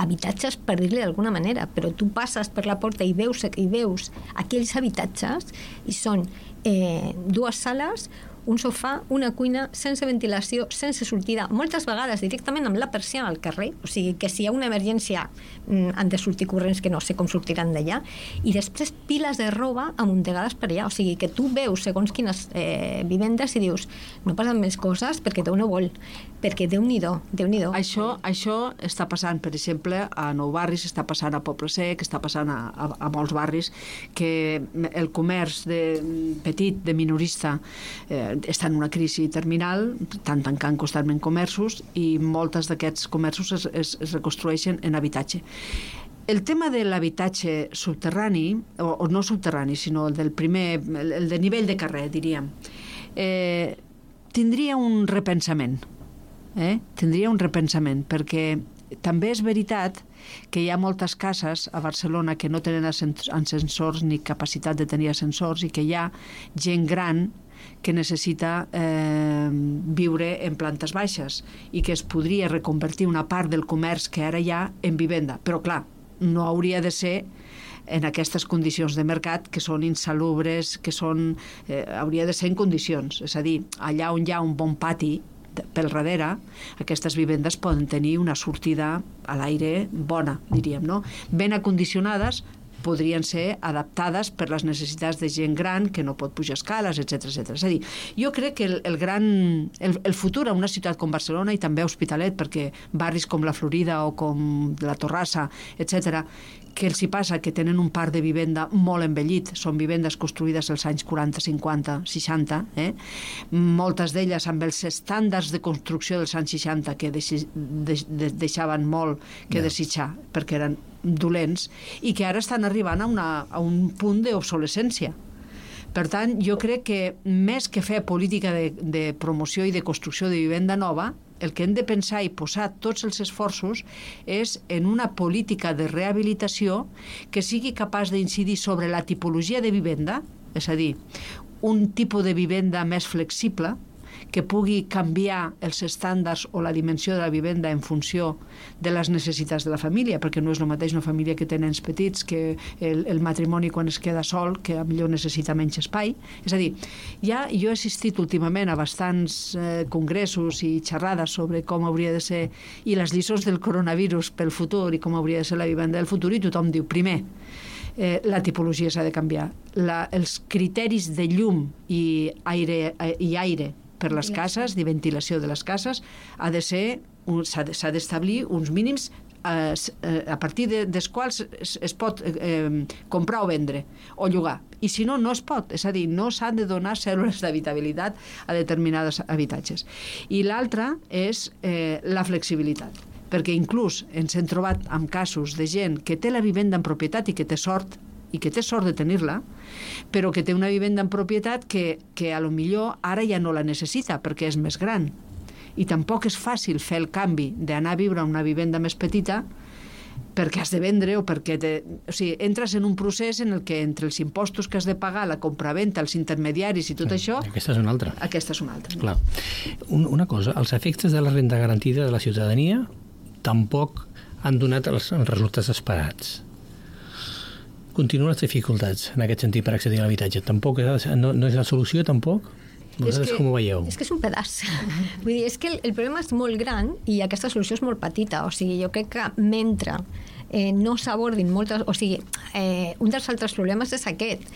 habitatges, per dir-li d'alguna manera, però tu passes per la porta i veus, i veus aquells habitatges i són eh, dues sales, un sofà, una cuina, sense ventilació, sense sortida, moltes vegades directament amb la persiana al carrer, o sigui que si hi ha una emergència mm, han de sortir corrents que no sé com sortiran d'allà, i després piles de roba amuntegades per allà, o sigui que tu veus segons quines eh, vivendes i dius, no passen més coses perquè Déu no vol, perquè Déu-n'hi-do, Déu-n'hi-do. Això, això està passant, per exemple, a Nou Barris, està passant a Poble Sec, està passant a, a, a molts barris, que el comerç de, petit, de minorista, eh, està en una crisi terminal, estan tancant constantment comerços i moltes d'aquests comerços es, es, es reconstrueixen en habitatge. El tema de l'habitatge subterrani, o, o no subterrani, sinó el del primer, el, el de nivell de carrer, diríem, eh, tindria un repensament. Eh? Tindria un repensament, perquè també és veritat que hi ha moltes cases a Barcelona que no tenen ascensors ni capacitat de tenir ascensors i que hi ha gent gran que necessita eh, viure en plantes baixes i que es podria reconvertir una part del comerç que ara hi ha en vivenda. Però, clar, no hauria de ser en aquestes condicions de mercat que són insalubres, que són, eh, hauria de ser en condicions. És a dir, allà on hi ha un bon pati pel darrere, aquestes vivendes poden tenir una sortida a l'aire bona, diríem, no? Ben acondicionades, podrien ser adaptades per les necessitats de gent gran que no pot pujar escales, etcètera etcètera. És a dir, jo crec que el, el gran el, el futur a una ciutat com Barcelona i també a Hospitalet, perquè barris com la Florida o com la Torrassa, etcètera, que els hi passa que tenen un parc de vivenda molt envellit, són vivendes construïdes als anys quaranta, cinquanta, seixanta, eh? Moltes d'elles amb els estàndards de construcció dels anys seixanta que deixi, de, de, deixaven molt que yeah. desitjar, perquè eren dolents, i que ara estan arribant a, una, a un punt d'obsolescència. Per tant, jo crec que més que fer política de, de promoció i de construcció de vivenda nova, el que hem de pensar i posar tots els esforços és en una política de rehabilitació que sigui capaç d'incidir sobre la tipologia de vivenda, és a dir, un tipus de vivenda més flexible, que pugui canviar els estàndards o la dimensió de la vivenda en funció de les necessitats de la família, perquè no és el mateix una família que té nens petits que el, el matrimoni quan es queda sol, que millor necessita menys espai. És a dir, ja jo he assistit últimament a bastants eh, congressos i xerrades sobre com hauria de ser, i les lliçons del coronavirus pel futur i com hauria de ser la vivenda del futur, i tothom diu, primer, Eh, la tipologia s'ha de canviar. La, els criteris de llum i aire, eh, i aire per les cases, de ventilació de les cases, ha de ser, s'ha d'establir uns mínims eh, a partir de, dels quals es, es pot eh, comprar o vendre o llogar. I si no, no es pot. És a dir, no s'han de donar cèl·lules d'habitabilitat a determinats habitatges. I l'altra és eh, la flexibilitat, perquè inclús ens hem trobat amb casos de gent que té la vivenda en propietat i que té sort, i que té sort de tenir-la, però que té una vivenda en propietat que, que a lo millor ara ja no la necessita perquè és més gran. I tampoc és fàcil fer el canvi d'anar a viure a una vivenda més petita perquè has de vendre o perquè te... o sigui, entres en un procés en el que entre els impostos que has de pagar, la compraventa, els intermediaris i tot sí, això... Aquesta és una altra. Aquesta és una altra. Clar. Un, una cosa, els efectes de la renda garantida de la ciutadania tampoc han donat els, els resultats esperats. Continuen les dificultats en aquest sentit per accedir a l'habitatge. Tampoc és, no, no és la solució, tampoc? Vosaltres que, com ho veieu? És que és un pedaç. Vull dir, és que el, el problema és molt gran i aquesta solució és molt petita. O sigui, jo crec que mentre eh, no s'abordin moltes... O sigui, eh, un dels altres problemes és aquest,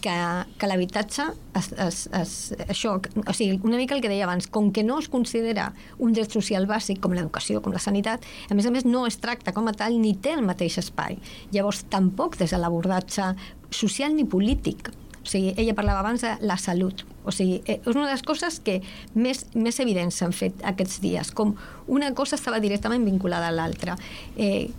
que, que l'habitatge es, es, es, això, o sigui, una mica el que deia abans, com que no es considera un dret social bàsic com l'educació, com la sanitat, a més a més no es tracta com a tal ni té el mateix espai. Llavors tampoc des de l'abordatge social ni polític. O sigui, ella parlava abans de la salut. O sigui, és una de les coses que més, més evidents s'han fet aquests dies, com una cosa estava directament vinculada a l'altra. Eh,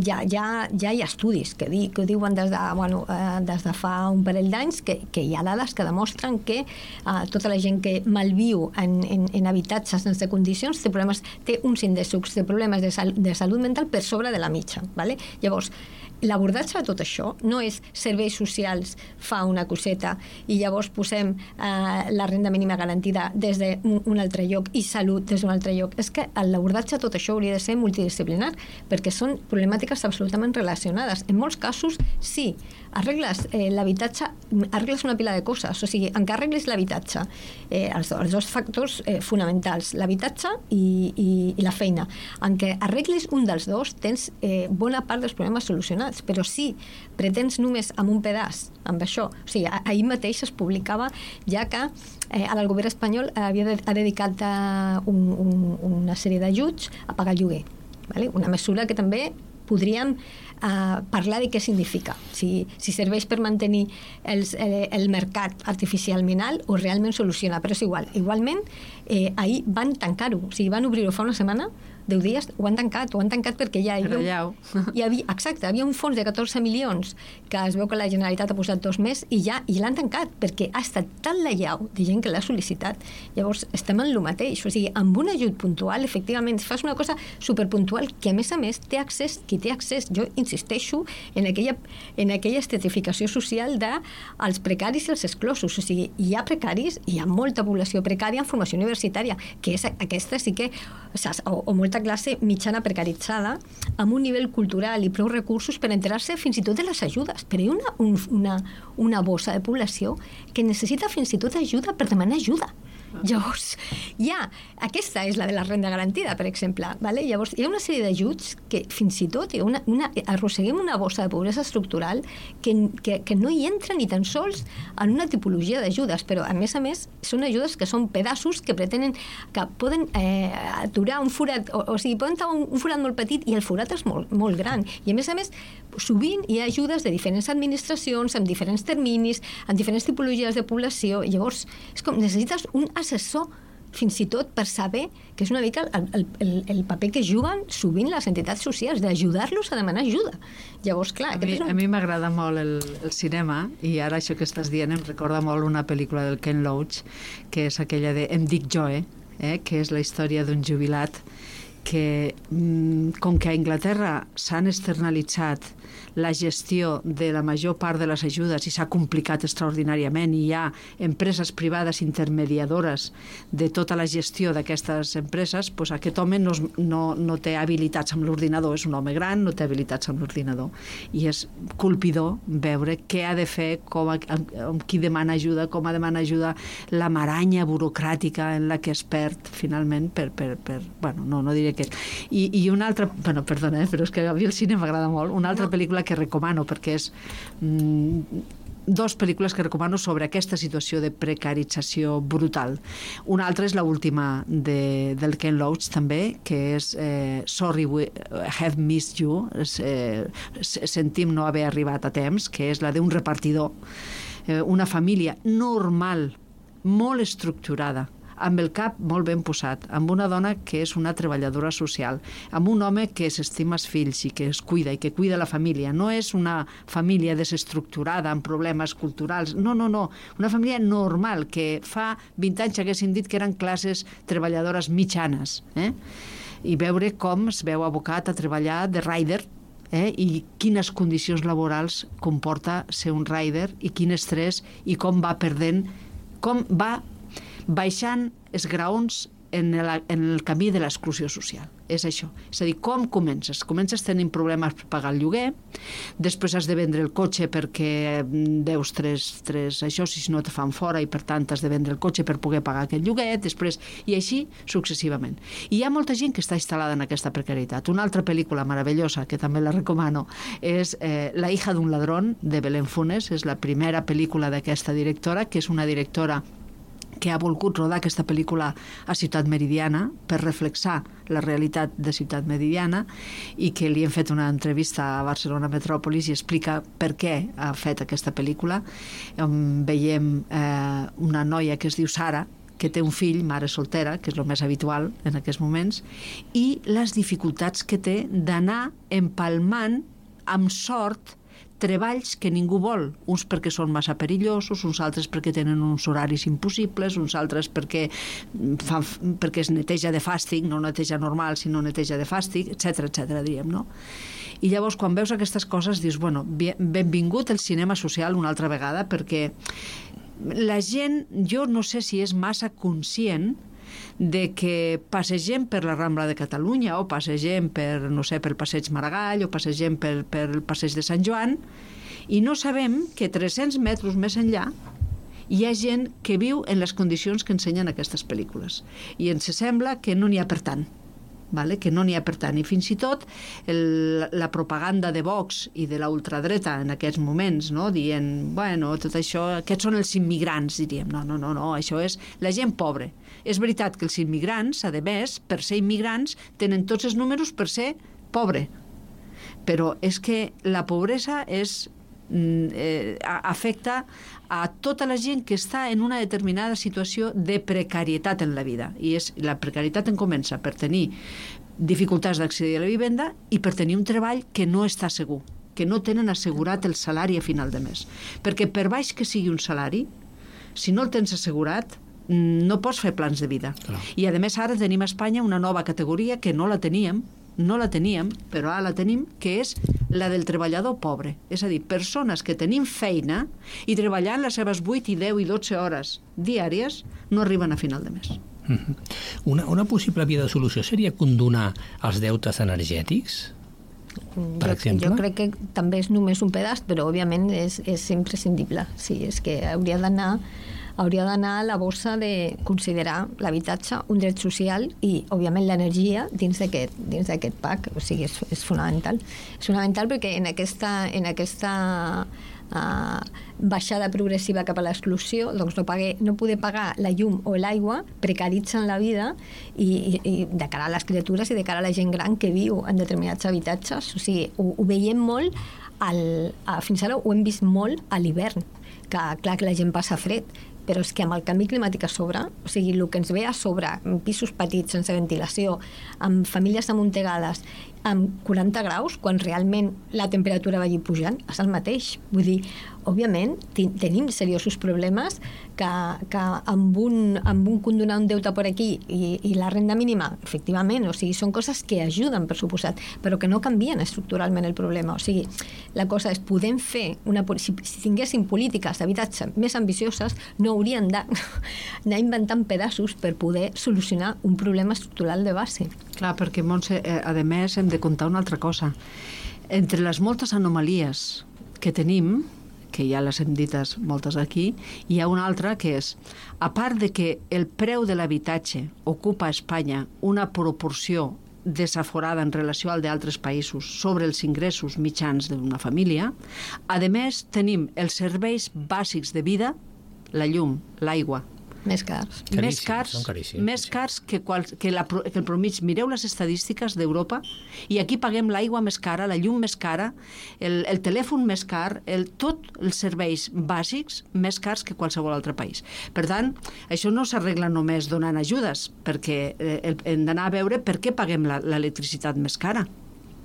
Ja, ja, ja hi ha estudis que, di, que ho diuen des de, bueno, eh, des de fa un parell d'anys que, que hi ha dades que demostren que eh, tota la gent que malviu en, en, en habitatges sense condicions té, problemes, té uns índexs de problemes de, sal, de salut mental per sobre de la mitja. ¿Vale? Llavors, l'abordatge de tot això no és serveis socials fa una coseta i llavors posem eh, la renda mínima garantida des d'un un altre lloc i salut des d'un altre lloc. És que l'abordatge de tot això hauria de ser multidisciplinar perquè són problemàtiques absolutament relacionades. En molts casos, sí, arregles eh, l'habitatge, arregles una pila de coses. O sigui, en què arregles l'habitatge, eh, els, els dos factors eh, fonamentals, l'habitatge i, i, i la feina. En què arregles un dels dos, tens eh, bona part dels problemes solucionats. Però si pretens només amb un pedaç, amb això, o sigui, ahir mateix es publicava ja que eh, el govern espanyol havia de, ha dedicat a un, un, una sèrie d'ajuts a pagar el lloguer. Vale? Una mesura que també podríem eh, parlar de què significa, si, si serveix per mantenir els, el, el mercat artificialment alt o realment soluciona, però és igual. Igualment, eh, ahir van tancar-ho, o sigui, van obrir-ho fa una setmana, deu dies, ho han tancat, ho han tancat perquè ja hi havia, hi havia, exacte, hi havia un fons de catorze milions que es veu que la Generalitat ha posat dos més i ja i l'han tancat perquè ha estat tan la llau de gent que l'ha sol·licitat. Llavors estem en el mateix, o sigui, amb un ajut puntual, efectivament, fas una cosa superpuntual que a més a més té accés, qui té accés, jo insisteixo en aquella, en aquella estratificació social dels precaris i els exclosos, o sigui, hi ha precaris, hi ha molta població precària en formació universitària, que és aquesta sí que, o, o molta classe mitjana precaritzada amb un nivell cultural i prou recursos per enterar-se fins i tot de les ajudes. Però hi ha una, un, una, una bossa de població que necessita fins i tot ajuda per demanar ajuda. Llavors, ja, aquesta és la de la renda garantida, per exemple. Vale? Llavors, hi ha una sèrie d'ajuts que fins i tot una, una, arrosseguem una bossa de pobresa estructural que, que, que no hi entra ni tan sols en una tipologia d'ajudes, però a més a més són ajudes que són pedaços que pretenen, que poden eh, aturar un forat, o, o sigui, poden tenir un, un forat molt petit i el forat és molt, molt gran. I a més a més, sovint hi ha ajudes de diferents administracions, amb diferents terminis, amb diferents tipologies de població. Llavors, és com, necessites un assessor fins i tot per saber que és una mica el, el, el paper que juguen sovint les entitats socials, d'ajudar-los a demanar ajuda. Llavors, clar... A mi, un... a mi m'agrada molt el, el cinema i ara això que estàs dient em recorda molt una pel·lícula del Ken Loach que és aquella de Em dic Joe, eh, que és la història d'un jubilat que, com que a Anglaterra s'han externalitzat la gestió de la major part de les ajudes i s'ha complicat extraordinàriament i hi ha empreses privades intermediadores de tota la gestió d'aquestes empreses, doncs aquest home no, no, no té habilitats amb l'ordinador, és un home gran, no té habilitats amb l'ordinador i és colpidor veure què ha de fer, com, amb, amb qui demana ajuda, com ha demana ajuda, la maranya burocràtica en la que es perd finalment per, per, per bueno, no, no diré que... I, i una altra, bueno, perdona, eh, però és que a mi el cine m'agrada molt, una altra no. pel·lícula que recomano perquè és mm, dos pel·lícules que recomano sobre aquesta situació de precarització brutal. Una altra és l'última de, del Ken Loach també, que és eh, Sorry we have missed you, és, eh, sentim no haver arribat a temps, que és la d'un repartidor, eh, una família normal, molt estructurada, amb el cap molt ben posat, amb una dona que és una treballadora social, amb un home que s'estima els fills i que es cuida i que cuida la família. No és una família desestructurada amb problemes culturals, no, no, no, una família normal que fa vint anys haguessin dit que eren classes treballadores mitjanes, eh? I veure com es veu abocat a treballar de rider, eh? I quines condicions laborals comporta ser un rider i quin estrès i com va perdent, com va baixant els graons en el, en el camí de l'exclusió social. És això. És a dir, com comences? Comences tenint problemes per pagar el lloguer, després has de vendre el cotxe perquè deus tres, tres això, si no te fan fora i per tant has de vendre el cotxe per poder pagar aquest lloguer, després, i així successivament. I hi ha molta gent que està instal·lada en aquesta precarietat. Una altra pel·lícula meravellosa, que també la recomano, és eh, La hija d'un ladrón, de Belén Funes, és la primera pel·lícula d'aquesta directora, que és una directora que ha volgut rodar aquesta pel·lícula a Ciutat Meridiana per reflexar la realitat de Ciutat Meridiana i que li hem fet una entrevista a Barcelona Metròpolis i explica per què ha fet aquesta pel·lícula. On veiem eh, una noia que es diu Sara, que té un fill, mare soltera, que és el més habitual en aquests moments, i les dificultats que té d'anar empalmant amb sort treballs que ningú vol, uns perquè són massa perillosos, uns altres perquè tenen uns horaris impossibles, uns altres perquè, fan, perquè es neteja de fàstic, no neteja normal, sinó neteja de fàstic, etcètera, etcètera, diríem, no? I llavors, quan veus aquestes coses, dius, bueno, benvingut el cinema social una altra vegada, perquè la gent, jo no sé si és massa conscient de que passegem per la Rambla de Catalunya o passegem per, no sé, pel Passeig Maragall o passegem per, per el Passeig de Sant Joan i no sabem que tres-cents metres més enllà hi ha gent que viu en les condicions que ensenyen aquestes pel·lícules i ens sembla que no n'hi ha per tant. Vale? Que no n'hi ha per tant. I fins i tot el, la propaganda de Vox i de la ultradreta en aquests moments, no? Dient, bueno, tot això, aquests són els immigrants, diríem. No, no, no, no, això és la gent pobra. És veritat que els immigrants, a més, per ser immigrants, tenen tots els números per ser pobre. Però és que la pobresa és Eh, afecta a tota la gent que està en una determinada situació de precarietat en la vida i és, la precarietat en comença per tenir dificultats d'accedir a la vivenda i per tenir un treball que no està segur, que no tenen assegurat el salari a final de mes, perquè per baix que sigui un salari, si no el tens assegurat no pots fer plans de vida. Clar. I a més ara tenim a Espanya una nova categoria que no la teníem no la teníem, però ara la tenim, que és la del treballador pobre. És a dir, persones que tenim feina i treballant les seves vuit i deu i dotze hores diàries no arriben a final de mes. Mm-hmm. Una, una possible via de solució seria condonar els deutes energètics? Per jo, exemple? jo crec que també és només un pedaç, però òbviament és, és imprescindible. Sí, és que hauria d'anar hauria d'anar a la bossa de considerar l'habitatge un dret social i, òbviament, l'energia dins d'aquest dins d'aquest pack. O sigui, és, és fonamental. És fonamental perquè en aquesta, en aquesta uh, baixada progressiva cap a l'exclusió, doncs no, pague, no poder pagar la llum o l'aigua precaritzen la vida i, i, i de cara a les criatures i de cara a la gent gran que viu en determinats habitatges. O sigui, ho, ho veiem molt, al, a, fins ara ho hem vist molt a l'hivern, que clar que la gent passa fred, però és que amb el canvi climàtic a sobre, o sigui, el que ens ve a sobre, amb pisos petits, sense ventilació, amb famílies amuntegades, amb quaranta graus, quan realment la temperatura va allí pujant, és el mateix. Vull dir, òbviament, tenim seriosos problemes que, que amb, un, amb un condonar un deute per aquí i, i la renda mínima, efectivament, o sigui, són coses que ajuden, per suposat, però que no canvien estructuralment el problema. O sigui, la cosa és, podem fer, una, si, si tinguéssim polítiques d'habitatge més ambicioses, no haurien d'anar inventant pedaços per poder solucionar un problema estructural de base. Clar, perquè, Montse, eh, a més, hem de contar una altra cosa. Entre les moltes anomalies que tenim, que ja les hem dites moltes aquí, hi ha una altra que és, a part de que el preu de l'habitatge ocupa a Espanya una proporció desaforada en relació al d'altres països sobre els ingressos mitjans d'una família, a més tenim els serveis bàsics de vida, la llum, l'aigua, més cars. Caríssims, més cars, són caríssims, més cars que, qual, que, la, que el promig. Mireu les estadístiques d'Europa i aquí paguem l'aigua més cara, la llum més cara, el, el telèfon més car, el, tot els serveis bàsics més cars que qualsevol altre país. Per tant, això no s'arregla només donant ajudes, perquè eh, hem d'anar a veure per què paguem l'electricitat més cara.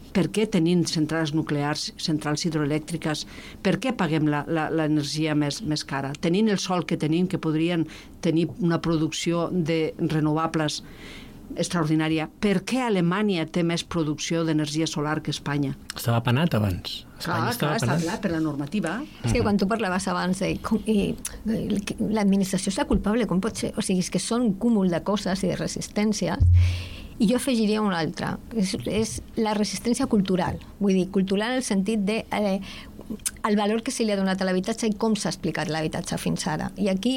Per què tenint centrals nuclears, centrals hidroelèctriques, per què paguem l'energia més, més cara? Tenint el sol que tenim, que podrien tenir una producció de renovables extraordinària, per què Alemanya té més producció d'energia solar que Espanya? Estava penat abans. Clar, clar, està clar, per la normativa. És que quan tu parlaves abans de com, i, l'administració és la culpable, com pot ser? O sigui, és que són un cúmul de coses i de resistències. I jo afegiria una altra, és, és la resistència cultural. Vull dir, cultural en el sentit de eh, el valor que se li ha donat a l'habitatge i com s'ha explicat l'habitatge fins ara. I aquí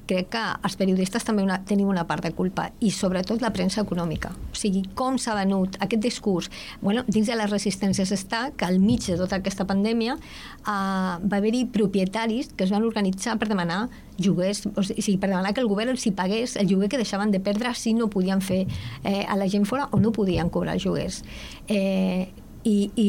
crec que els periodistes també una, tenim una part de culpa, i sobretot la premsa econòmica. O sigui, com s'ha venut aquest discurs. Bueno, dins de les resistències està que al mig de tota aquesta pandèmia eh, va haver-hi propietaris que es van organitzar per demanar lloguers, o sigui, per demanar que el govern els hi pagués el lloguer que deixaven de perdre si no podien fer eh, a la gent fora o no podien cobrar els lloguers. Eh, i, i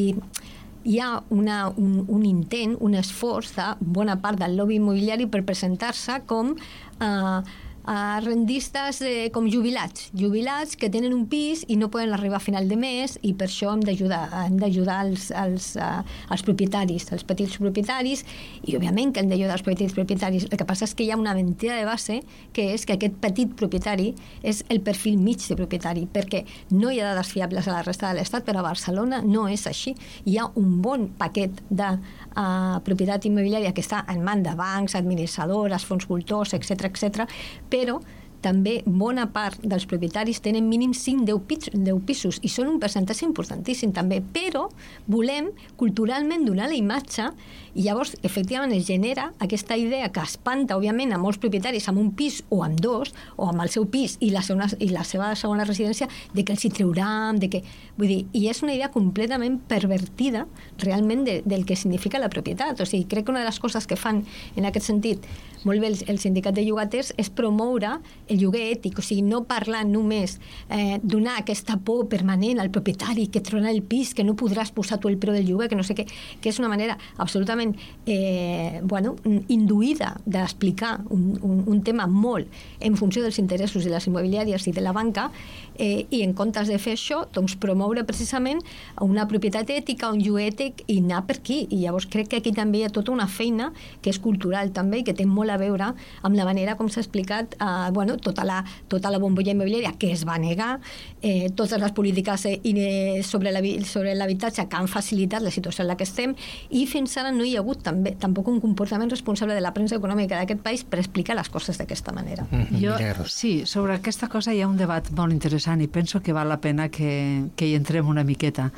hi ha una, un, un intent, un esforç de bona part del lobby immobiliari per presentar-se com eh, a rendistes eh, com jubilats, jubilats que tenen un pis i no poden arribar a final de mes, i per això hem d'ajudar hem d'ajudar els, els, uh, els propietaris, els petits propietaris, i òbviament que hem d'ajudar els petits propietaris. El que passa és que hi ha una mentida de base, que és que aquest petit propietari és el perfil mig de propietari, perquè no hi ha dades fiables a la resta de l'Estat, però a Barcelona no és així. Hi ha un bon paquet de uh, propietat immobiliària que està en mans de bancs, administradores, fons voltors, etcètera, etcètera, però també bona part dels propietaris tenen mínim cinc a deu pisos, i són un percentatge importantíssim també, però volem culturalment donar la imatge, i llavors efectivament es genera aquesta idea que espanta òbviament a molts propietaris amb un pis o amb dos, o amb el seu pis i la, segona, i la seva segona residència, de que els hi trauran, de que... Vull dir, i és una idea completament pervertida realment de, del que significa la propietat. O sigui, crec que una de les coses que fan en aquest sentit molt bé el, el sindicat de llogaters és promoure el lloguer ètic, o sigui, no parlar només, eh, donar aquesta por permanent al propietari que trona el pis, que no podràs posar tu el preu del lloguer, que no sé què, que és una manera absolutament eh, bueno, induïda d'explicar un, un, un tema molt en funció dels interessos de les immobiliàries i de la banca, eh, i en comptes de fer això, doncs promoure precisament una propietat ètica, un lloguer ètic, i anar per aquí. I llavors crec que aquí també hi ha tota una feina que és cultural també, i que té molt a veure amb la manera com s'ha explicat eh, bueno, tota la, tota la bombolla immobiliària que es va negar, eh, totes les polítiques eh, sobre l'habitatge que han facilitat la situació en la que estem, i fins ara no hi ha hagut també, tampoc un comportament responsable de la premsa econòmica d'aquest país per explicar les coses d'aquesta manera. Mm-hmm. Jo, sí, sobre aquesta cosa hi ha un debat molt interessant i penso que val la pena que, que hi entrem una miqueta,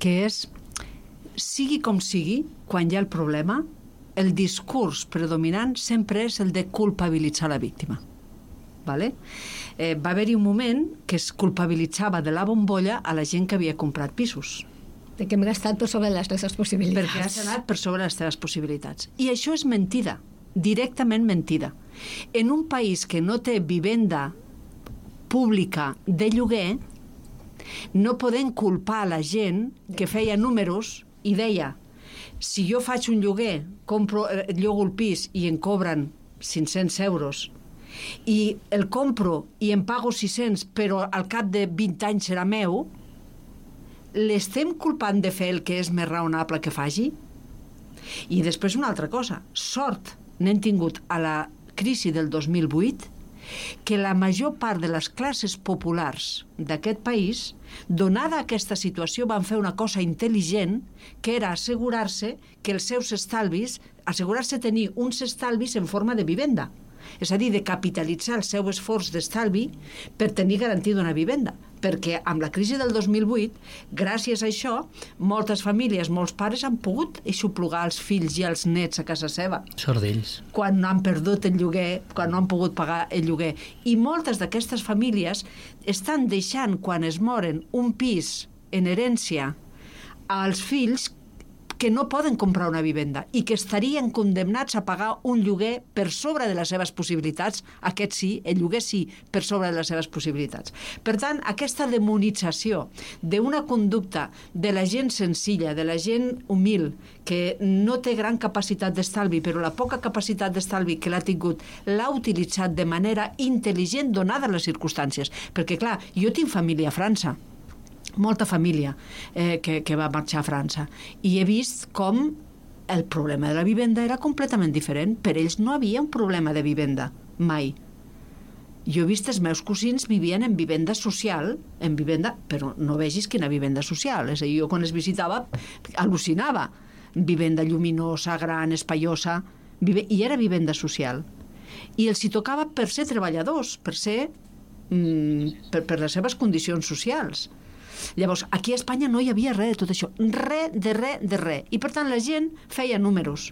que és, sigui com sigui, quan hi ha el problema, el discurs predominant sempre és el de culpabilitzar la víctima. Vale? Eh, va haver-hi un moment que es culpabilitzava de la bombolla a la gent que havia comprat pisos. De que hem gastat per sobre les teves possibilitats. Perquè has anat per sobre les teves possibilitats. I això és mentida, directament mentida. En un país que no té vivenda pública de lloguer, no podem culpar a la gent que feia números i deia, si jo faig un lloguer, compro, llogo el pis i em cobren cinc-cents euros, i el compro i em pago sis-cents, però al cap de vint anys serà meu, l'estem culpant de fer el que és més raonable que faci? I després una altra cosa, sort n'hem tingut a la crisi del dos mil vuit, que la major part de les classes populars d'aquest país, donada aquesta situació, van fer una cosa intel·ligent, que era assegurar-se que els seus estalvis, assegurar-se tenir uns estalvis en forma de vivenda. És a dir, de capitalitzar el seu esforç d'estalvi per tenir garantida una vivenda. Perquè amb la crisi del dos mil vuit, gràcies a això, moltes famílies, molts pares han pogut aixoplugar els fills i els nets a casa seva. Sort d'ells. Quan han perdut el lloguer, quan no han pogut pagar el lloguer. I moltes d'aquestes famílies estan deixant, quan es moren, un pis en herència als fills que no poden comprar una vivenda i que estarien condemnats a pagar un lloguer per sobre de les seves possibilitats, aquest sí, el lloguer sí, per sobre de les seves possibilitats. Per tant, aquesta demonització d'una conducta de la gent senzilla, de la gent humil, que no té gran capacitat d'estalvi, però la poca capacitat d'estalvi que l'ha tingut l'ha utilitzat de manera intel·ligent donades les circumstàncies. Perquè, clar, jo tinc família a França, molta família eh, que, que va marxar a França, i he vist com el problema de la vivenda era completament diferent. Per ells no havia un problema de vivenda, mai. Jo he vist els meus cosins vivien en vivenda social, en vivenda, però no vegis quina vivenda social. És a dir, jo quan es visitava al·lucinava. Vivenda lluminosa, gran, espaiosa, vive... i era vivenda social. I els hi tocava per ser treballadors, per ser... Mm, per, per les seves condicions socials. Llavors, aquí a Espanya no hi havia res de tot això, res de res de res, i per tant la gent feia números,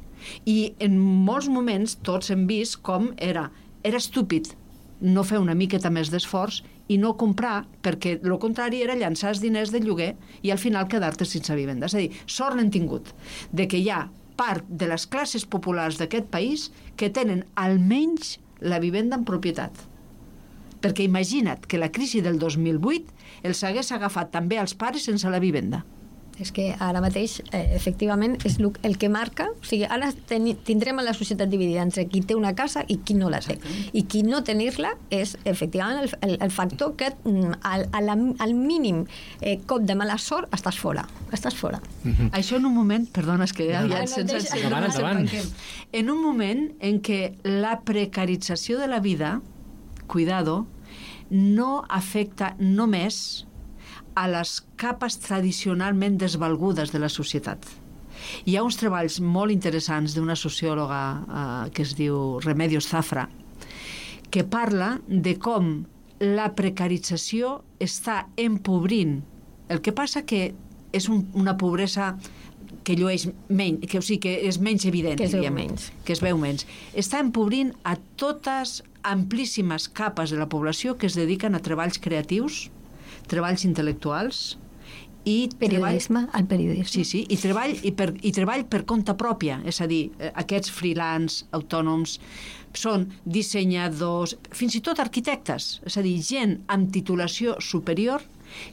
i en molts moments tots hem vist com era, era estúpid no fer una miqueta més d'esforç i no comprar, perquè el contrari era llançar els diners de lloguer i al final quedar-te sense vivenda. És a dir, sort n'hem tingut de que hi ha part de les classes populars d'aquest país que tenen almenys la vivenda en propietat. Perquè imagina't que la crisi del dos mil vuit els hagués agafat també als pares sense la vivenda. És que ara mateix, eh, efectivament, és el que marca. O sigui, ara ten, tindrem la societat dividida entre qui té una casa i qui no la té. I qui no tenir-la és, efectivament, el, el, el factor que al, al, al mínim eh, cop de mala sort estàs fora. Estàs fora. Mm-hmm. Això en un moment, perdona, és que ja, ja no, sense... deixa, endavant, endavant. En un moment en què la precarització de la vida, cuidado, no afecta només a les capes tradicionalment desvalgudes de la societat. Hi ha uns treballs molt interessants d'una sociòloga eh, que es diu Remedios Zafra, que parla de com la precarització està empobrint. El que passa que és un, una pobresa que llueix menys, que, o sigui, que és menys evident, que es veu diríem, menys. que es veu menys. Està empobrint a totes amplíssimes capes de la població que es dediquen a treballs creatius, treballs intel·lectuals i periodisme, treball... al periodisme. Sí, sí, i treball, i, per, i treball per compte pròpia, és a dir, aquests freelance, autònoms, són dissenyadors, fins i tot arquitectes, és a dir, gent amb titulació superior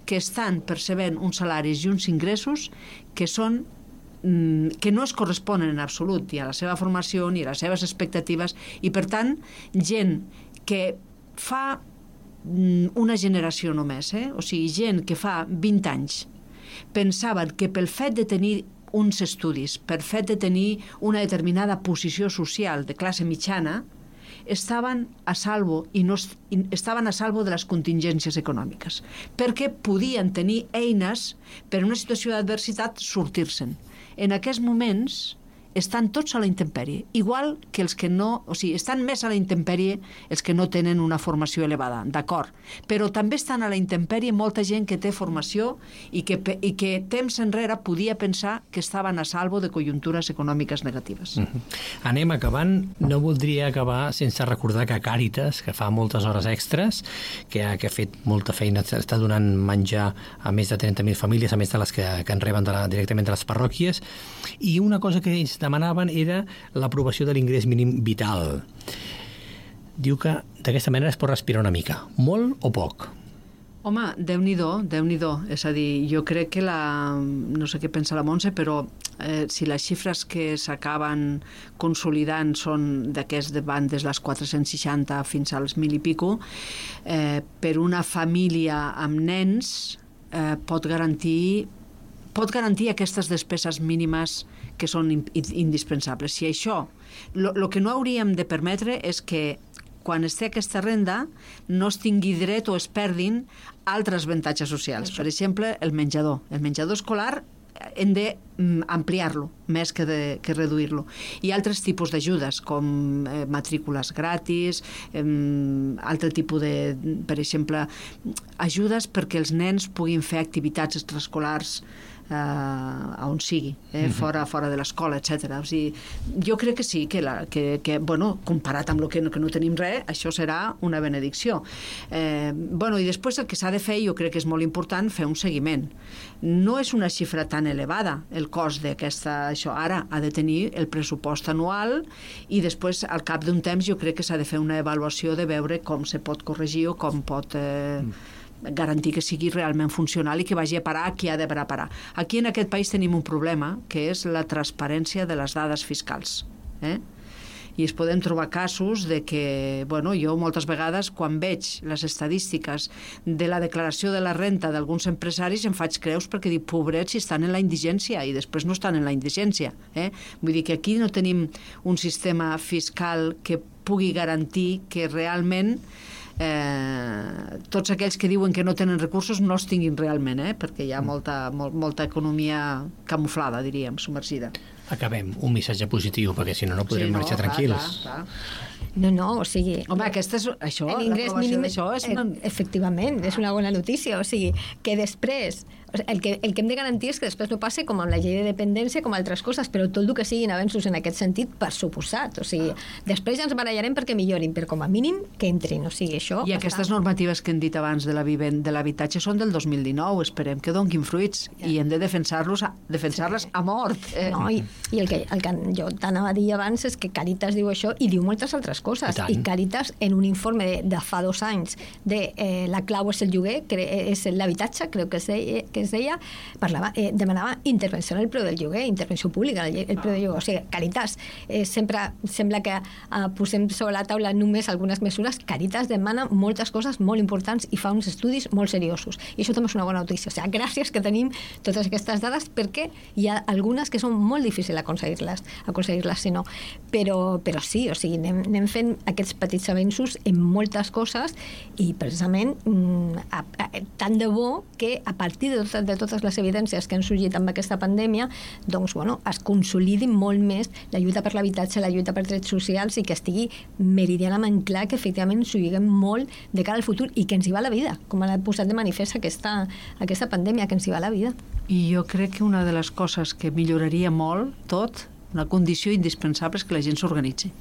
que estan percebent uns salaris i uns ingressos que són que no es corresponen en absolut ni a la seva formació ni a les seves expectatives, i per tant gent que fa una generació només, eh? O sigui, gent que fa vint anys pensaven que pel fet de tenir uns estudis, per fet de tenir una determinada posició social de classe mitjana, estaven a salvo i no estaven a salvo de les contingències econòmiques, perquè podien tenir eines per una situació d'adversitat sortir-se'n. En aquests moments estan tots a la intempèrie, igual que els que no, o sigui, estan més a la intempèrie els que no tenen una formació elevada, d'acord, però també estan a la intempèrie molta gent que té formació i que, i que temps enrere podia pensar que estaven a salvo de conjuntures econòmiques negatives. Mm-hmm. Anem acabant. No voldria acabar sense recordar que Càritas, que fa moltes hores extres, que ha, que ha fet molta feina, està donant menjar a més de trenta mil famílies, a més de les que, que en reben de la, directament de les parròquies, i una cosa que ells demanaven era l'aprovació de l'ingrés mínim vital. Diu que d'aquesta manera es pot respirar una mica. Molt o poc? Home, Déu-n'hi-do, Déu-n'hi-do. És a dir, jo crec que la... no sé què pensa la Montse, però eh, si les xifres que s'acaben consolidant són d'aquests de bandes les quatre-cents seixanta fins als mil i pico, eh, per una família amb nens eh, pot garantir pot garantir aquestes despeses mínimes que són indispensables. Si això, el que no hauríem de permetre és que quan es té aquesta renda no es tingui dret o es perdin altres avantatges socials. Per exemple, el menjador. El menjador escolar hem d'ampliar-lo més que, de, que reduir-lo. Hi ha altres tipus d'ajudes, com eh, matrícules gratis, eh, altre tipus de, per exemple, ajudes perquè els nens puguin fer activitats extraescolars eh, on sigui, eh, mm-hmm. fora, fora de l'escola, etcètera. O sigui, jo crec que sí, que, la, que, que bueno, comparat amb el que no, que no tenim res, això serà una benedicció. Eh, bueno, i després el que s'ha de fer, jo crec que és molt important, fer un seguiment. No és una xifra tan elevada el cost d'aquesta... Això ara ha de tenir el pressupost anual i després, al cap d'un temps, jo crec que s'ha de fer una avaluació de veure com se pot corregir o com pot... Eh, mm. garantir que sigui realment funcional i que vagi a parar a qui ha de parar. Aquí en aquest país tenim un problema, que és la transparència de les dades fiscals. Eh? I es podem trobar casos de que, bueno, jo moltes vegades quan veig les estadístiques de la declaració de la renta d'alguns empresaris em faig creus perquè dic, pobrets, si estan en la indigència, i després no estan en la indigència. Eh? Vull dir que aquí no tenim un sistema fiscal que pugui garantir que realment Eh, tots aquells que diuen que no tenen recursos no els tinguin realment, eh? Perquè hi ha molta, molt, molta economia camuflada, diríem, submergida. Acabem, un missatge positiu, perquè si no no podrem sí, no, marxar clar, tranquils. Clar, clar. No, no, o sigui... Home, aquesta és, això, l'ingrés mínim d'això és una... Efectivament, és una bona notícia, o sigui, que després... El que, el que hem de garantir és que després no passi com amb la llei de dependència, com altres coses, però tot el que siguin avenços en aquest sentit, per suposat. O sigui, després ja ens barallarem perquè millorin, però com a mínim que entrin. O sigui, això... I aquestes està... normatives que hem dit abans de l'habitatge són del dos mil dinou, esperem que donguin fruits ja. I hem de defensar-los defensar-les a mort. Eh? No, i, i el que, el que jo t'anava a dir abans és que Càritas diu això i diu moltes altres coses. I, I Càritas, en un informe de, de fa dos anys de eh, la clau és el lloguer, que és l'habitatge, crec que es deia, que es deia, parlava, eh, demanava intervenció en el preu del lloguer, intervenció pública en el, el preu del lloguer. O sigui, Càritas, eh, sempre sembla que eh, posem sobre la taula només algunes mesures. Càritas demana moltes coses molt importants i fa uns estudis molt seriosos. I això també és una bona notícia. O sigui, gràcies que tenim totes aquestes dades, perquè hi ha algunes que són molt difícils aconseguir-les, aconseguir-les si no. Però, però sí, o sigui, anem, anem fent aquests petits avenços en moltes coses i precisament mm, a, a, tant de bo que a partir de, tot, de totes les evidències que han sorgit amb aquesta pandèmia, doncs, bueno, es consolidi molt més la lluita per l'habitatge, la lluita per drets socials i que estigui meridianament clar que efectivament s'ho lliguem molt de cara al futur i que ens hi va la vida, com ha posat de manifest aquesta, aquesta pandèmia, que ens hi va la vida. I jo crec que una de les coses que milloraria molt tot, una condició indispensable és que la gent s'organitzi.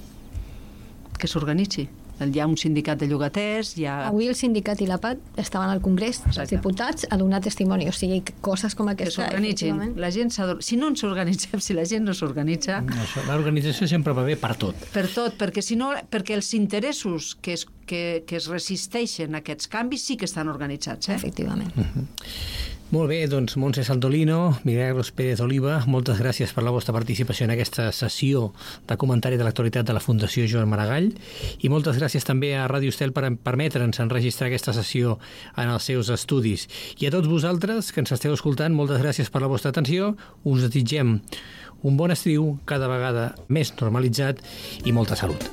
Que s'organitzi. Hi ha un sindicat de llogaters, hi ha... Avui el sindicat i la P A T estaven al Congrés, Exacte. Els diputats, a donar testimoni, o sigui, coses com aquesta... Que s'organitzin. La gent si no ens organitzem, si la gent no s'organitza... No, l'organització sempre va bé per tot. Per tot, perquè si no, perquè els interessos que es, que, que es resisteixen a aquests canvis sí que estan organitzats, eh? Efectivament. Uh-huh. Molt bé, doncs Montse Saldolino, Milagros Pérez Oliva, moltes gràcies per la vostra participació en aquesta sessió de comentari de l'actualitat de la Fundació Joan Maragall i moltes gràcies també a Ràdio Estel per permetre'ns enregistrar aquesta sessió en els seus estudis. I a tots vosaltres que ens esteu escoltant, moltes gràcies per la vostra atenció. Us desitgem un bon estiu cada vegada més normalitzat i molta salut.